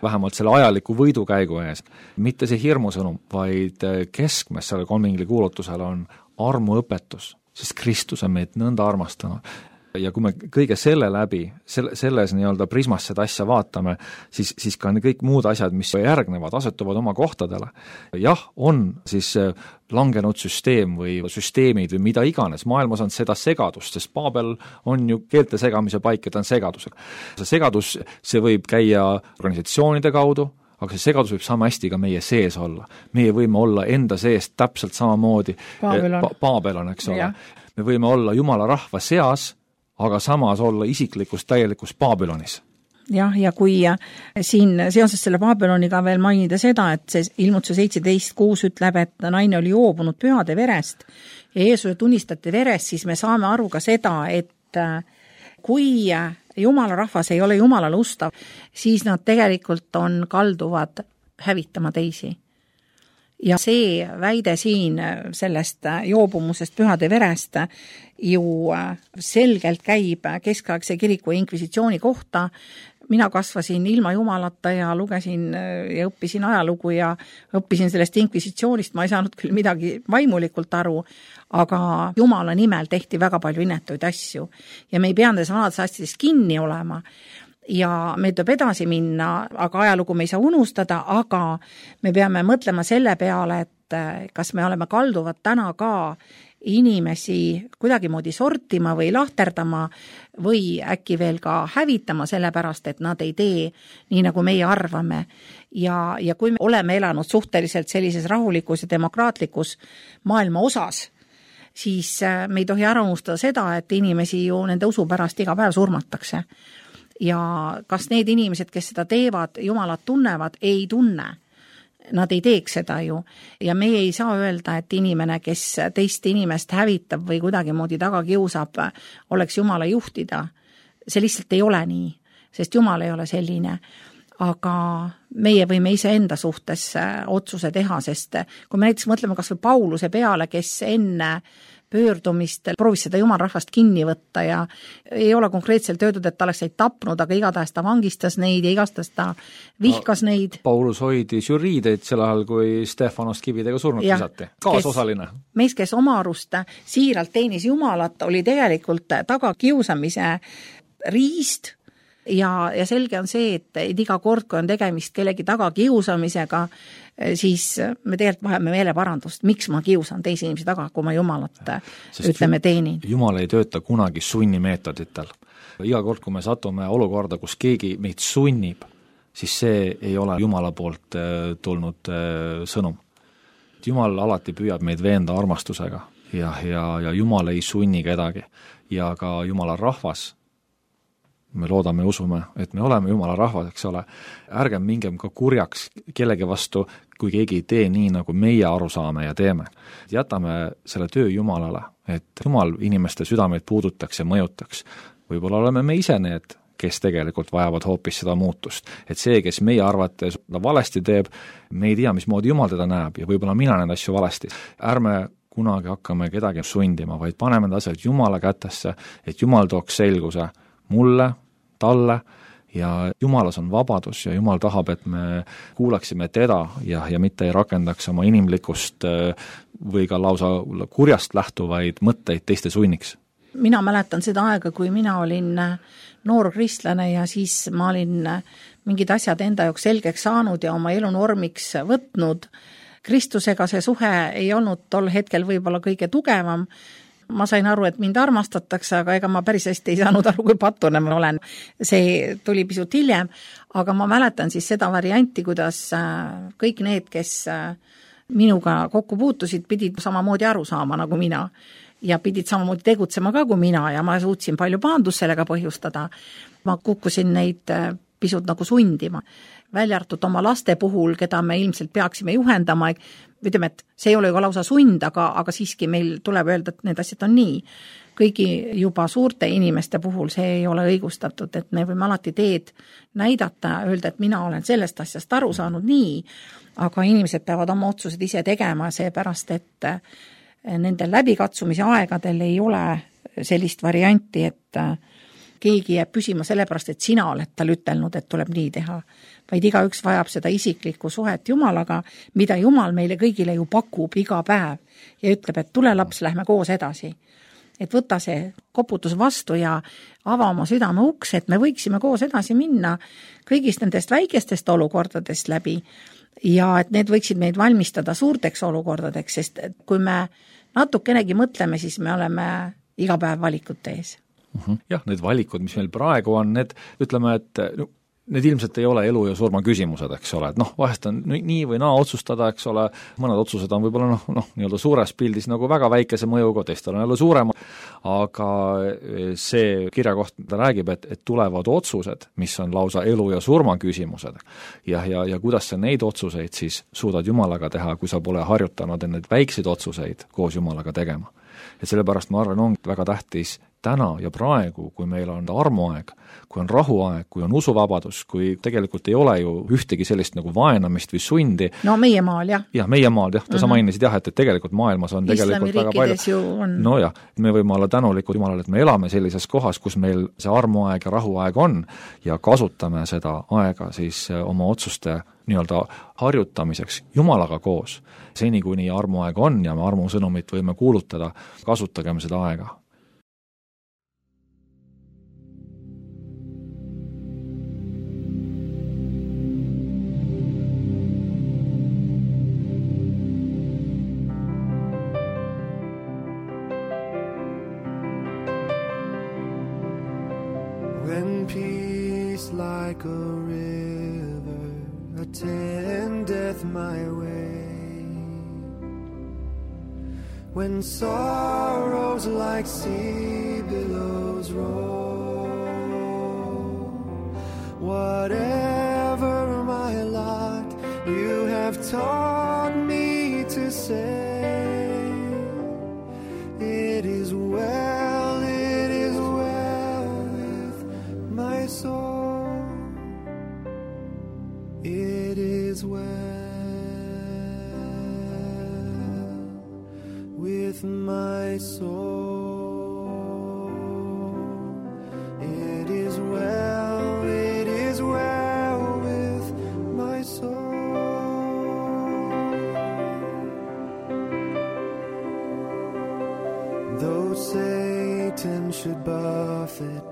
vähemalt selle ajaliku võidukäigu ees. Mitte see hirmusõnum, vaid keskmes selle 3 ingli kuulutusel on armuõpetus, sest Kristus on meid nõnda armastanud. Ja kui me kõige selle läbi, selles nii-öelda prismas seda asja vaatame, siis ka kõik muud asjad, mis järgnevad, asetuvad oma kohtadele. Jah, on siis langenud süsteem või süsteemid või mida iganes. Maailmas on seda segadust, sest Paabel on ju keelte segamise paik, et on segadusega. See segadus, see võib käia organisatsioonide kaudu, aga see segadus võib sama hästi ka meie sees olla. Meie võime olla enda sees täpselt samamoodi. Paabel on, eks ole. Ja. Me võime olla Jumala rahva seas, aga samas olla isiklikus täielikus Baabilonis. Jah, ja kui siin seoses selle Baabiloniga veel mainida seda, et see ilmutuse 17.6 ütleb, et naine oli joobunud pühade verest ja Jeesuse tunnistati verest, siis me saame aru ka seda, et kui Jumala rahvas ei ole Jumalale ustav, siis nad tegelikult kalduvad hävitama teisi. Ja see väide siin sellest joobumusest pühade verest ju selgelt käib keskaegse kiriku inkvisitsiooni kohta. Mina kasvasin ilma Jumalata ja lugesin ja õppisin ajalugu ja õppisin sellest inkvisitsioonist. Ma ei saanud küll midagi vaimulikult aru, aga Jumala nimel tehti väga palju inetuid asju. Ja me ei pea nendes vanades asjadest kinni olema. Ja me tuleb edasi minna, aga ajalugu me ei saa unustada, aga me peame mõtlema selle peale, et kas me oleme kalduvad täna ka inimesi kuidagimoodi sortima või lahterdama või äkki veel ka hävitama sellepärast, et nad ei tee nii, nagu meie arvame. Ja kui me oleme elanud suhteliselt sellises rahulikus ja demokraatlikus maailma osas, siis me ei tohi ära unustada seda, et inimesi ju nende usu pärast iga päev surmatakse. Ja kas need inimesed, kes seda teevad, Jumalat tunnevad, ei tunne. Nad ei teeks seda ju. Ja meie ei saa öelda, et inimene, kes teist inimest hävitab või kuidagimoodi taga kiusab, oleks Jumala juhtida. See lihtsalt ei ole nii, sest Jumal ei ole selline. aga meie võime iseenda suhtes otsuse teha, sest kui me näiteks mõtleme kas või Pauluse peale, kes enne pöördumist proovis seda jumalrahvast kinni võtta ja ei ole konkreetselt öeldud, et ta oleks neid tapnud, aga igatahes ta vangistas neid ja igatahes ta vihkas neid. Paulus hoidis ju riideid sel ajal, kui Stefanost kividega surnud visati. Kaasosaline. Mees, kes oma arust siiralt teenis Jumalat, oli tegelikult tagakiusamise riist ja selge on see, et iga kord, kui on tegemist kellegi tagakiusamisega, siis me tegelikult vajame meeleparandust, miks ma kiusan teisi inimesi taga, kui ma Jumalat ütleme teenin. Jumal ei tööta kunagi sunnimeetoditel. Iga kord, kui me satume olukorda, kus keegi meid sunnib, siis see ei ole Jumala poolt tulnud sõnum. Jumal alati püüab meid veenda armastusega ja Jumal ei sunni kedagi ja ka Jumala rahvas, me loodame ja usume, et me oleme Jumala rahvas, eks ole, ärgem mingem ka kurjaks kellegi vastu, kui keegi ei tee nii, nagu meie aru saame ja teeme. Jätame selle töö Jumalale, et Jumal inimeste südameid puudutaks ja mõjutaks. Võib-olla oleme me ise need, kes tegelikult vajavad hoopis seda muutust. Et see, kes meie arvates valesti teeb, me ei tea, mismoodi Jumal teda näeb ja võib-olla mina need asju valesti. Ärme kunagi hakkame kedagi sundima, vaid paneme need asjad Jumala kätesse, et Jumal tooks selguse mulle, talle ja Jumalas on vabadus ja Jumal tahab, et me kuulaksime teda ja mitte ei rakendaks oma inimlikust või ka lausa kurjast lähtuvaid mõtteid teiste sunniks. Mina mäletan seda aega, kui mina olin noor kristlane ja siis ma olin mingid asjad enda jaoks selgeks saanud ja oma elu normiks võtnud. Kristusega see suhe ei olnud tol hetkel võib-olla kõige tugevam. Ma sain aru, et mind armastatakse, aga ega ma päris hästi ei saanud aru, kui patune ma olen. See tuli pisut hiljem, aga ma mäletan siis seda varianti, kuidas kõik need, kes minuga kokku puutusid, pidid samamoodi aru saama nagu mina ja pidid samamoodi tegutsema ka kui mina ja ma suutsin palju pahandust sellega põhjustada. Ma kukkusin neid pisut nagu sundima. Välja arvatud oma laste puhul, keda me ilmselt peaksime juhendama, ütleme, et see ei ole ju lausa sund, aga siiski meil tuleb öelda, et need asjad on nii. Kõigi juba suurte inimeste puhul see ei ole õigustatud, et me võime alati teed näidata, öelda, et mina olen sellest asjast aru saanud nii, aga inimesed peavad oma otsused ise tegema, seepärast, et nendel läbikatsumise aegadel ei ole sellist varianti, et keegi jääb püsima sellepärast, et sina oled tal ütelnud, et tuleb nii teha, vaid igaüks vajab seda isiklikku suhet Jumalaga, mida Jumal meile kõigile ju pakub iga päev ja ütleb, et tule laps, lähme koos edasi. Et võta see koputus vastu ja ava oma südame uks, et me võiksime koos edasi minna kõigist nendest väikestest olukordadest läbi ja et need võiksid meid valmistada suurteks olukordadeks, sest kui me natukenegi mõtleme, siis me oleme iga päev valikute ees. Jah, need valikud, mis meil praegu on, need ütleme, et need ilmselt ei ole elu ja surma küsimused, eks ole, et vahest on nii või naa otsustada, eks ole, mõned otsused on võib-olla nii-öelda suures pildis nagu väga väikese mõjuga, teistel on jälle suurema, aga see kirjakoht räägib, et tulevad otsused, mis on lausa elu ja surma küsimused ja kuidas sa neid otsuseid siis suudad Jumalaga teha, kui sa pole harjutanud neid väikseid otsuseid koos Jumalaga tegema. Et sellepärast ma arvan, on väga tähtis täna ja praegu, kui meil on armuaeg, kui on rahuaeg, kui on usuvabadus, kui tegelikult ei ole ju ühtegi sellist nagu vaenamist või sundi. No meie maal, jah. Jah, meie maal, jah, sa mainisid jah, et tegelikult maailmas on tegelikult väga palju. No jah, me võime olla tänulikud Jumalale, et me elame sellises kohas, kus meil see armuaeg ja rahuaeg on ja kasutame seda aega siis oma otsuste nii-öelda harjutamiseks Jumalaga koos. Seni, kuni armuaeg on ja me armusõnumit võime kuulutada, kasutagem seda aega. When peace like a river attendeth my way, when sorrows like sea billows roll, whatever my lot, you have taught me to say, it is well with my soul. with my soul. It is well with my soul. Though Satan should buffet,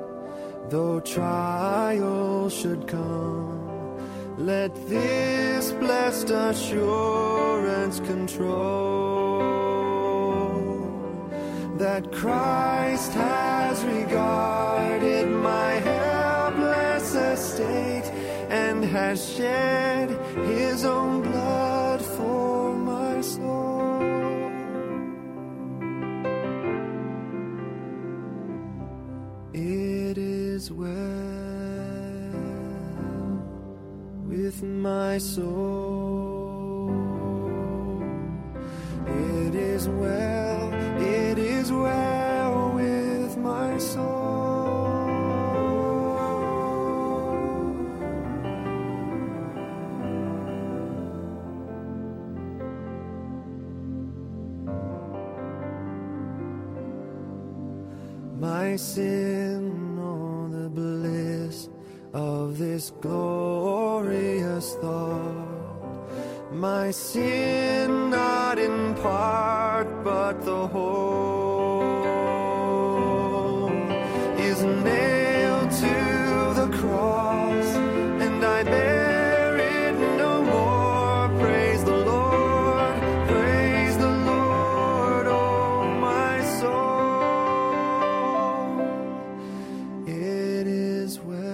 though trial should come, let this blessed assurance control, that Christ has regarded my helpless estate and has shed his own blood for my soul. It is well with my soul. It is well with my soul. My sin, oh, the bliss of this glorious thought, my sin not in part but the whole, is nailed to the cross, and I bear it no more. Praise the Lord, oh my soul. It is well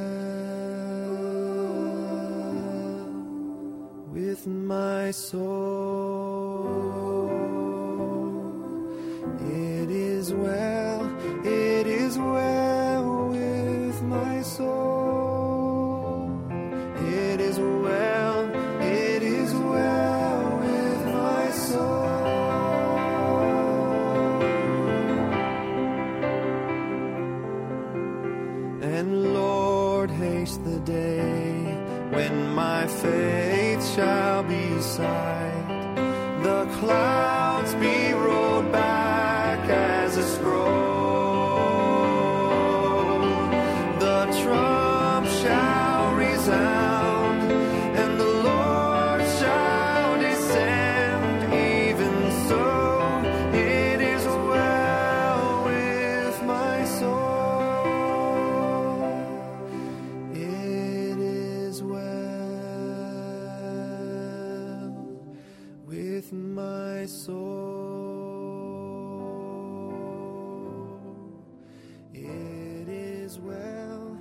with my soul. It is well with my soul. It is well with my soul. And Lord, haste the day when my faith shall be sight, the clouds be rolled back as a scroll, the trump shall resound, and the Lord shall descend. Even so, it is well with my soul. It is well with my soul. It is well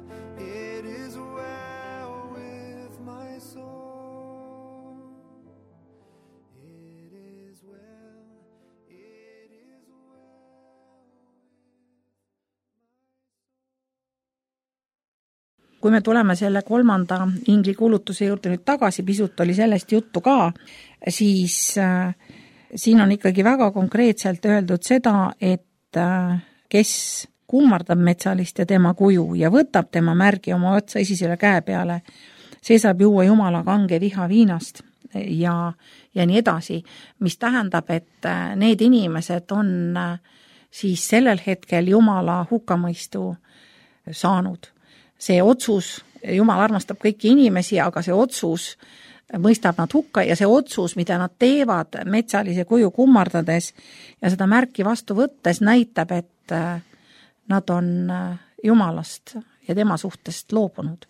with my soul. It is well. Kui me tuleme selle 3. ingli kuulutuse juurde nüüd tagasi, pisut oli sellest juttu ka, siis siin on ikkagi väga konkreetselt öeldud seda, et kes kummardab metsalist ja tema kuju ja võtab tema märgi oma otsa esisele käe peale, see saab juua Jumala kange viha viinast ja nii edasi, mis tähendab, et need inimesed on siis sellel hetkel Jumala hukkamõistu saanud. See otsus, Jumal armastab kõiki inimesi, aga see otsus mõistab nad hukka ja see otsus, mida nad teevad metsalise kuju kummardades ja seda märki vastu võttes, näitab, et nad on Jumalast ja tema suhtest loobunud.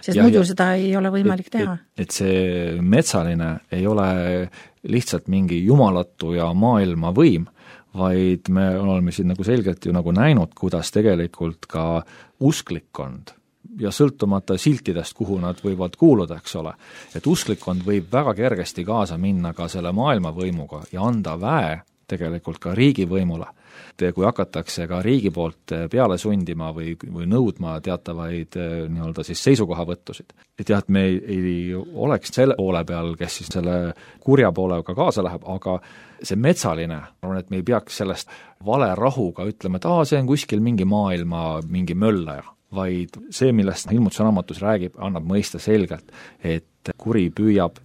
Sest muidu seda ei ole võimalik teha. Et see metsaline ei ole lihtsalt mingi jumalatu ja maailma võim, vaid me oleme siin nagu selgelt ju nagu näinud, kuidas tegelikult ka usklikkond ja sõltumata siltidest, kuhu nad võivad kuuluda, eks ole. Et usklikkond võib väga kergesti kaasa minna ka selle maailma võimuga ja anda väe tegelikult ka riigivõimule. Kui hakatakse ka riigi poolt peale sundima või nõudma teatavaid nii-öelda siis seisukohavõttusid. Et jah, et me ei oleks selle poole peal, kes siis selle kurja poolega kaasa läheb, aga see metsaline, et me ei peaks sellest vale rahuga ütlema, et see on kuskil mingi maailma mingi möllaja, vaid see, millest Ilmutuse raamatus räägib, annab mõista selgelt, et kuri püüab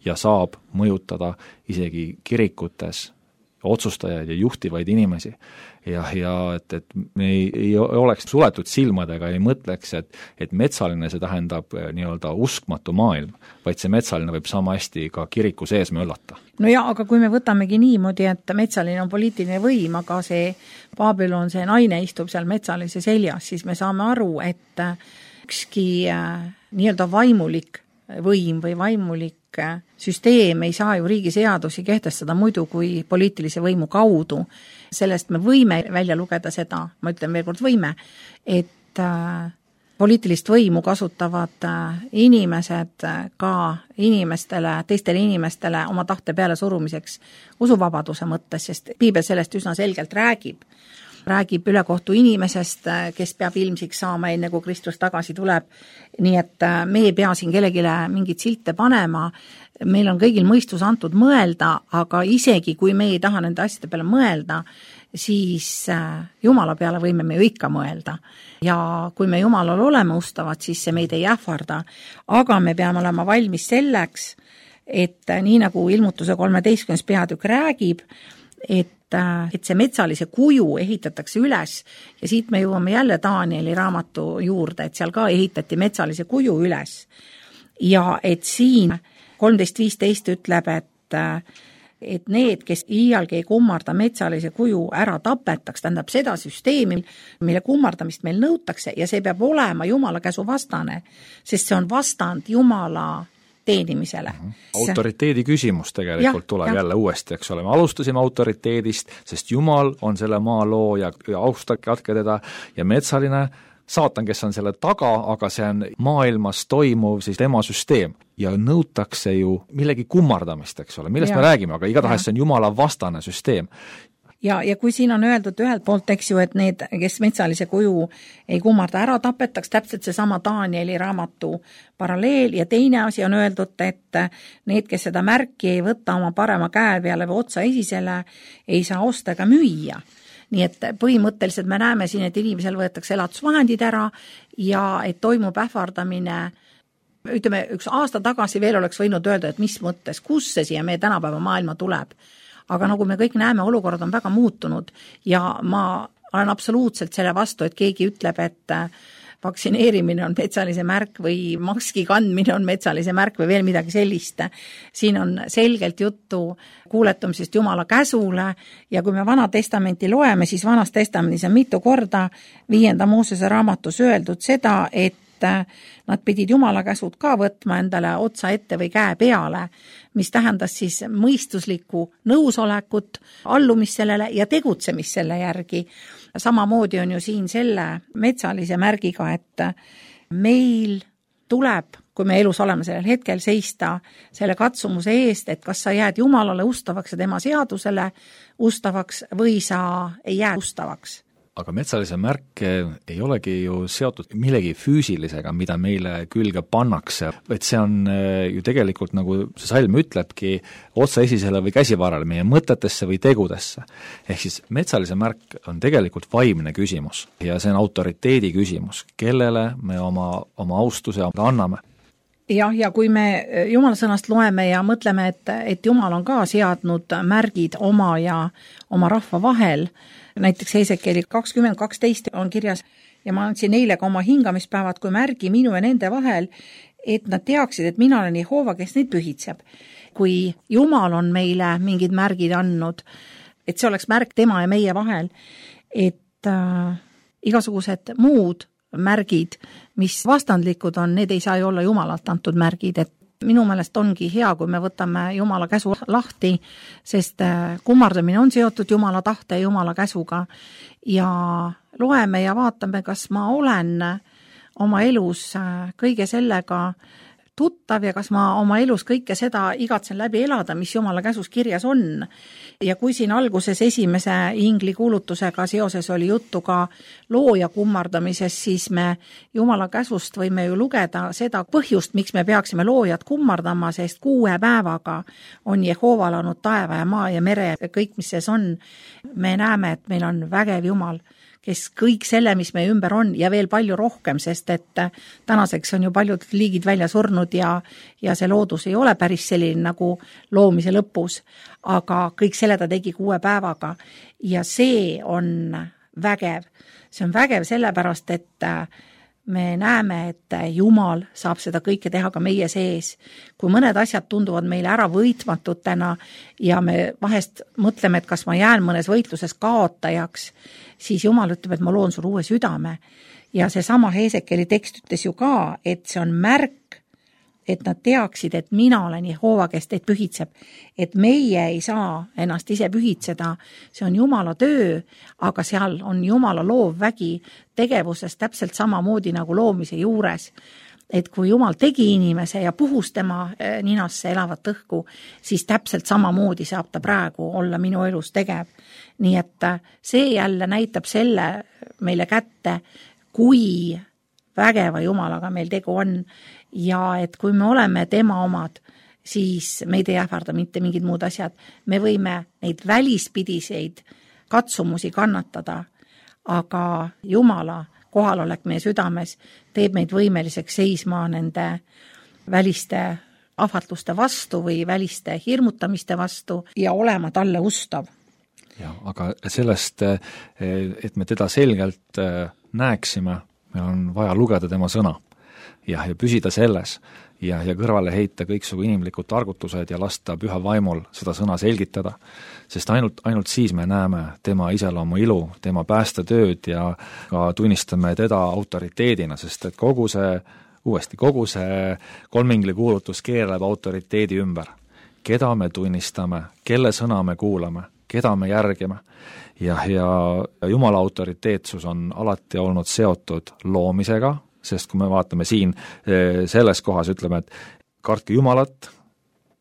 ja saab mõjutada isegi kirikutes otsustajaid ja juhtivaid inimesi. Ja et me ei oleks suletud silmadega, ei mõtleks, et metsaline see tähendab nii-öelda uskmatu maailm, vaid see metsaline võib sama hästi ka kiriku sees möllata. No ja, aga kui me võtamegi niimoodi, et metsaline on poliitiline võim, aga see Babylon, see naine istub seal metsalise seljas, siis me saame aru, et ükski nii-öelda vaimulik võim või vaimulik süsteem ei saa ju riigiseadusi kehtestada muidu kui poliitilise võimu kaudu. Sellest me võime välja lugeda seda, ma ütlen veel kord võime, et poliitilist võimu kasutavad inimesed ka inimestele, teistele inimestele oma tahte peale surumiseks usuvabaduse mõttes, sest piibel sellest üsna selgelt räägib ülekohtu inimesest, kes peab ilmsiks saama enne, kui Kristus tagasi tuleb. Nii et me ei pea siin kellegile mingit silte panema, meil on kõigil mõistus antud mõelda, aga isegi kui me ei taha nende asjade peale mõelda, siis Jumala peale võime me ju ikka mõelda. Ja kui me Jumalal oleme ustavad, siis see meid ei ähvarda, aga me peame olema valmis selleks, et nii nagu ilmutuse 13. peatükk räägib, et see metsalise kuju ehitatakse üles ja siit me jõuame jälle Danieli raamatu juurde, et seal ka ehitati metsalise kuju üles. Ja et siin 13.15 ütleb, et need, kes iialgi ei kummarda metsalise kuju ära tapetaks, tähendab seda süsteemi, mille kummardamist meil nõutakse ja see peab olema Jumala käsu vastane, sest see on vastand Jumala teenimisele. Autoriteedi küsimus tegelikult tuleb jälle uuesti, eks ole. Me alustasime autoriteedist, sest Jumal on selle maa looja ja austage teda ja metsaline saatan, kes on selle taga, aga see on maailmas toimuv siis tema süsteem ja nõutakse ju millegi kummardamist, eks ole, millest me räägime, aga igatahes see on Jumala vastane süsteem. Ja kui siin on öeldud ühelt poolt, eks ju, et need, kes metsalise kuju ei kummarda ära tapetaks, täpselt seesama Danieli raamatu paralleel ja teine asi on öeldud, et need, kes seda märki ei võta oma parema käe peale või otsa esisele, ei saa osta ega müüa. Nii et põhimõtteliselt me näeme siin, et inimesel võetakse elatusvahendid ära ja et toimub ähvardamine. Ütleme, üks aasta tagasi veel oleks võinud öelda, et mis mõttes, kus see siia meie tänapäeva maailma tuleb. Aga nagu me kõik näeme, olukord on väga muutunud ja ma olen absoluutselt selle vastu, et keegi ütleb, et vaktsineerimine on metsalise märk või maski kandmine on metsalise märk või veel midagi sellist. Siin on selgelt juttu kuuletumisest Jumala käsule ja kui me Vana Testamenti loeme, siis Vanas Testamendis on mitu korda 5. Moosese raamatus öeldud seda, et nad pidid Jumala käsud ka võtma endale otsa ette või käe peale, mis tähendas siis mõistuslikku nõusolekut, allumist sellele ja tegutsemist selle järgi. Samamoodi on ju siin selle metsalise märgiga, et meil tuleb, kui me elus oleme sellel hetkel, seista selle katsumuse eest, et kas sa jääd Jumalale ustavaks ja tema seadusele ustavaks või sa ei jää ustavaks. Aga metsalise märk ei olegi ju seotud millegi füüsilisega, mida meile külge pannakse, et see on ju tegelikult, nagu see salm ütlebki, otsa esisele või käsivarale, meie mõtetesse või tegudesse. Ehk siis metsalise märk on tegelikult vaimne küsimus ja see on autoriteedi küsimus, kellele me oma austuse anname. Jah, ja kui me Jumala sõnast loeme ja mõtleme, et Jumal on ka seadnud märgid oma ja oma rahva vahel, näiteks Hesekieli 20:12 on kirjas ja ma andsin neile ka oma hingamispäevad kui märgi minu ja nende vahel, et nad teaksid, et mina olen Jehova, kes neid pühitseb. Kui Jumal on meile mingid märgid andnud, et see oleks märk tema ja meie vahel, et igasugused muud märgid, mis vastandlikud on, need ei saa ju olla Jumalalt antud märgid, et minu meelest ongi hea, kui me võtame Jumala käsu lahti, sest kummardamine on seotud Jumala tahte ja Jumala käsuga ja loeme ja vaatame, kas ma olen oma elus kõige sellega tuttav ja kas ma oma elus kõike seda igatsen läbi elada, mis Jumala käsus kirjas on. Ja kui siin alguses esimese ingli kuulutusega seoses oli juttu ka looja kummardamisest, siis me Jumala käsust võime ju lugeda seda põhjust, miks me peaksime loojat kummardama, sest 6 päevaga on Jehova loonud taeva ja maa ja mere ja kõik, mis sees on. Me näeme, et meil on vägev Jumal, kes kõik selle, mis meie ümber on ja veel palju rohkem, sest et tänaseks on ju paljud liigid välja surnud ja see loodus ei ole päris selline nagu loomise lõpus, aga kõik selle ta tegi 6 päevaga ja see on vägev. See on vägev sellepärast, et me näeme, et Jumal saab seda kõike teha ka meie sees. Kui mõned asjad tunduvad meile ära võitmatutena ja me vahest mõtleme, et kas ma jään mõnes võitluses kaotajaks, siis Jumal ütleb, et ma loon sul uue südame. Ja see sama Heesekeli tekst ütles ju ka, et see on märk, et nad teaksid, et mina olen Jehova, kes teid pühitseb. Et meie ei saa ennast ise pühitseda, see on Jumala töö, aga seal on Jumala loovvägi tegevuses täpselt samamoodi nagu loomise juures. Et kui Jumal tegi inimese ja puhus tema ninasse elavat õhku, siis täpselt samamoodi saab ta praegu olla minu elus tegev. Nii et see jälle näitab selle meile kätte, kui vägeva Jumalaga meil tegu on ja et kui me oleme tema omad, siis meid ei ähvarda mitte mingid muud asjad. Me võime neid välispidiseid katsumusi kannatada, aga Jumala kohalolek meie südames teeb meid võimeliseks seisma nende väliste ahvatluste vastu või väliste hirmutamiste vastu ja olema talle ustav. Ja, aga sellest, et me teda selgelt näeksime, meil on vaja lugeda tema sõna ja püsida selles ja kõrvale heita kõiksugu inimlikud targutused ja lasta püha vaimul seda sõna selgitada, sest ainult siis me näeme tema iseloomu ilu, tema päästetööd ja ka tunnistame teda autoriteedina, sest et kogu see kolmingli kuulutus keerleb autoriteedi ümber. Keda me tunnistame, kelle sõna me kuulame, keda me järgime ja Jumala autoriteetsus on alati olnud seotud loomisega, sest kui me vaatame siin selles kohas, ütleme, et kartke Jumalat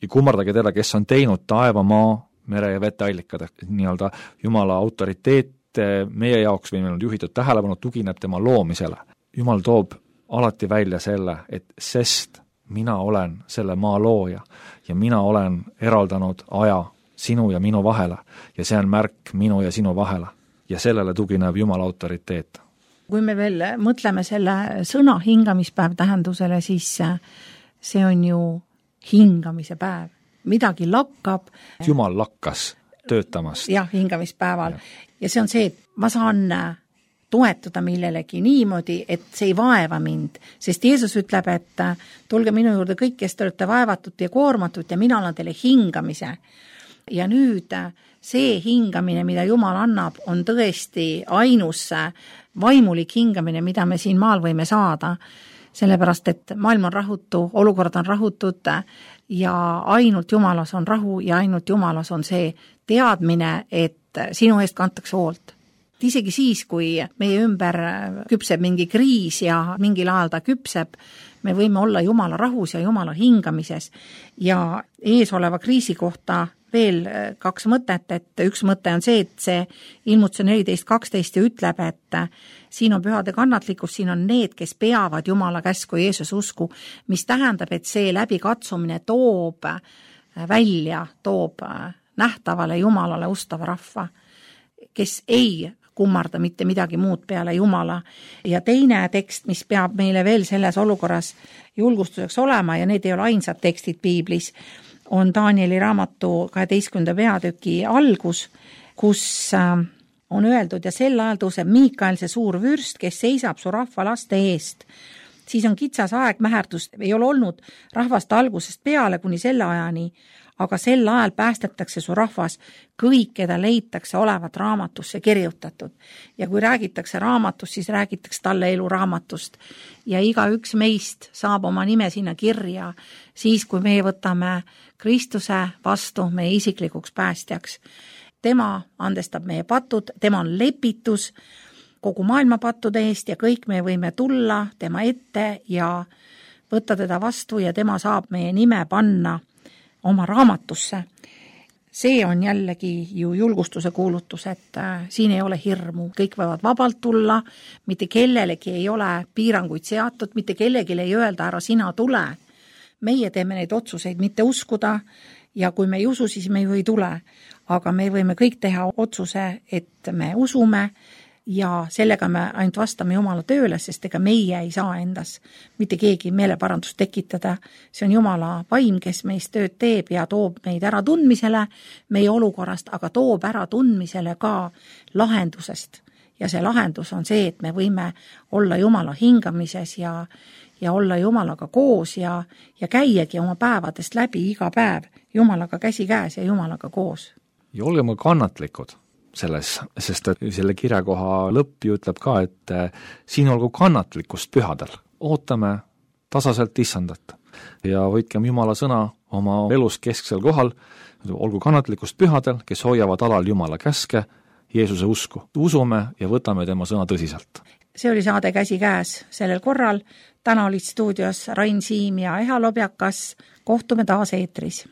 ja kummardage teda, kes on teinud taeva, maa, mere ja veteallikad. Nii-öelda Jumala autoriteet meie jaoks või meil on juhitud tähelepanu, tugineb tema loomisele. Jumal toob alati välja selle, et sest mina olen selle maa looja ja mina olen eraldanud aja sinu ja minu vahele ja see on märk minu ja sinu vahele ja sellele tugineb Jumala autoriteet. Kui me veel mõtleme selle sõna hingamispäev tähendusele, siis see on ju hingamise päev. Midagi lakkab. Jumal lakkas töötamast. Jah, hingamispäeval. Ja see on see, et ma saan toetuda millelegi niimoodi, et see ei vaeva mind. Sest Jeesus ütleb, et tulge minu juurde kõik, kes te olete vaevatud ja koormatud ja mina annan teile hingamise. Ja nüüd see hingamine, mida Jumal annab, on tõesti ainus vaimulik hingamine, mida me siin maal võime saada, sellepärast et maailm on rahutu, olukord on rahutud ja ainult Jumalas on rahu ja ainult Jumalas on see teadmine, et sinu eest kantakse hoolt. Isegi siis, kui meie ümber küpseb mingi kriis ja mingil ajal ta küpseb, me võime olla Jumala rahus ja Jumala hingamises ja eesoleva kriisi kohta veel 2 mõtet, et üks mõte on see, et see Ilmutuse 14.12 ja ütleb, et siin on pühade kannatlikkus, siin on need, kes peavad Jumala käsku Jeesus usku, mis tähendab, et see läbikatsumine toob nähtavale Jumalale ustava rahva, kes ei kummarda mitte midagi muud peale Jumala. Ja teine tekst, mis peab meile veel selles olukorras julgustuseks olema, ja need ei ole ainsad tekstid piiblis, on Danieli raamatu 12. peatüki algus, kus on öeldud, ja sel ajal tõuseb Miikael, see suur vürst, kes seisab su rahva laste eest. Siis on kitsas aeg, mäherdust ei ole olnud rahvast algusest peale kuni selle ajani, aga sel ajal päästetakse su rahvas kõik, keda leitakse olevat raamatusse kirjutatud. Ja kui räägitakse raamatust, siis räägitakse talle elu raamatust. Ja igaüks meist saab oma nime sinna kirja, siis kui meie võtame Kristuse vastu meie isiklikuks päästjaks. Tema andestab meie patud, tema on lepitus kogu maailma pattude eest ja kõik me võime tulla tema ette ja võtta teda vastu ja tema saab meie nime panna oma raamatusse. See on jällegi ju julgustuse kuulutus, et siin ei ole hirmu, kõik võivad vabalt tulla, mitte kellelegi ei ole piiranguid seatud, mitte kellelegi ei öelda, ära sina tule. Meie teeme neid otsuseid mitte uskuda ja kui me ei usu, siis me ju ei tule. Aga me võime kõik teha otsuse, et me usume, ja sellega me ainult vastame Jumala tööle, sest ega meie ei saa endas mitte keegi meeleparandust tekitada. See on Jumala vaim, kes meist tööd teeb ja toob meid ära tundmisele meie olukorrast, aga toob ära tundmisele ka lahendusest. Ja see lahendus on see, et me võime olla Jumala hingamises ja olla Jumalaga koos ja käiagi oma päevadest läbi iga päev Jumalaga käsi käes ja Jumalaga koos. Ja olgeme kannatlikud selles, sest selle kirjakoha lõpp ju ütleb ka, et siin olgu kannatlikkust pühadel. Ootame tasaselt Issandat ja võitkem Jumala sõna oma elus kesksel kohal, olgu kannatlikkust pühadel, kes hoiavad alal Jumala käske, Jeesuse usku. Usume ja võtame tema sõna tõsiselt. See oli saade Käsi käes sellel korral. Täna olid stuudios Rain Siim ja Eha Lobjakas. Kohtume taas eetris.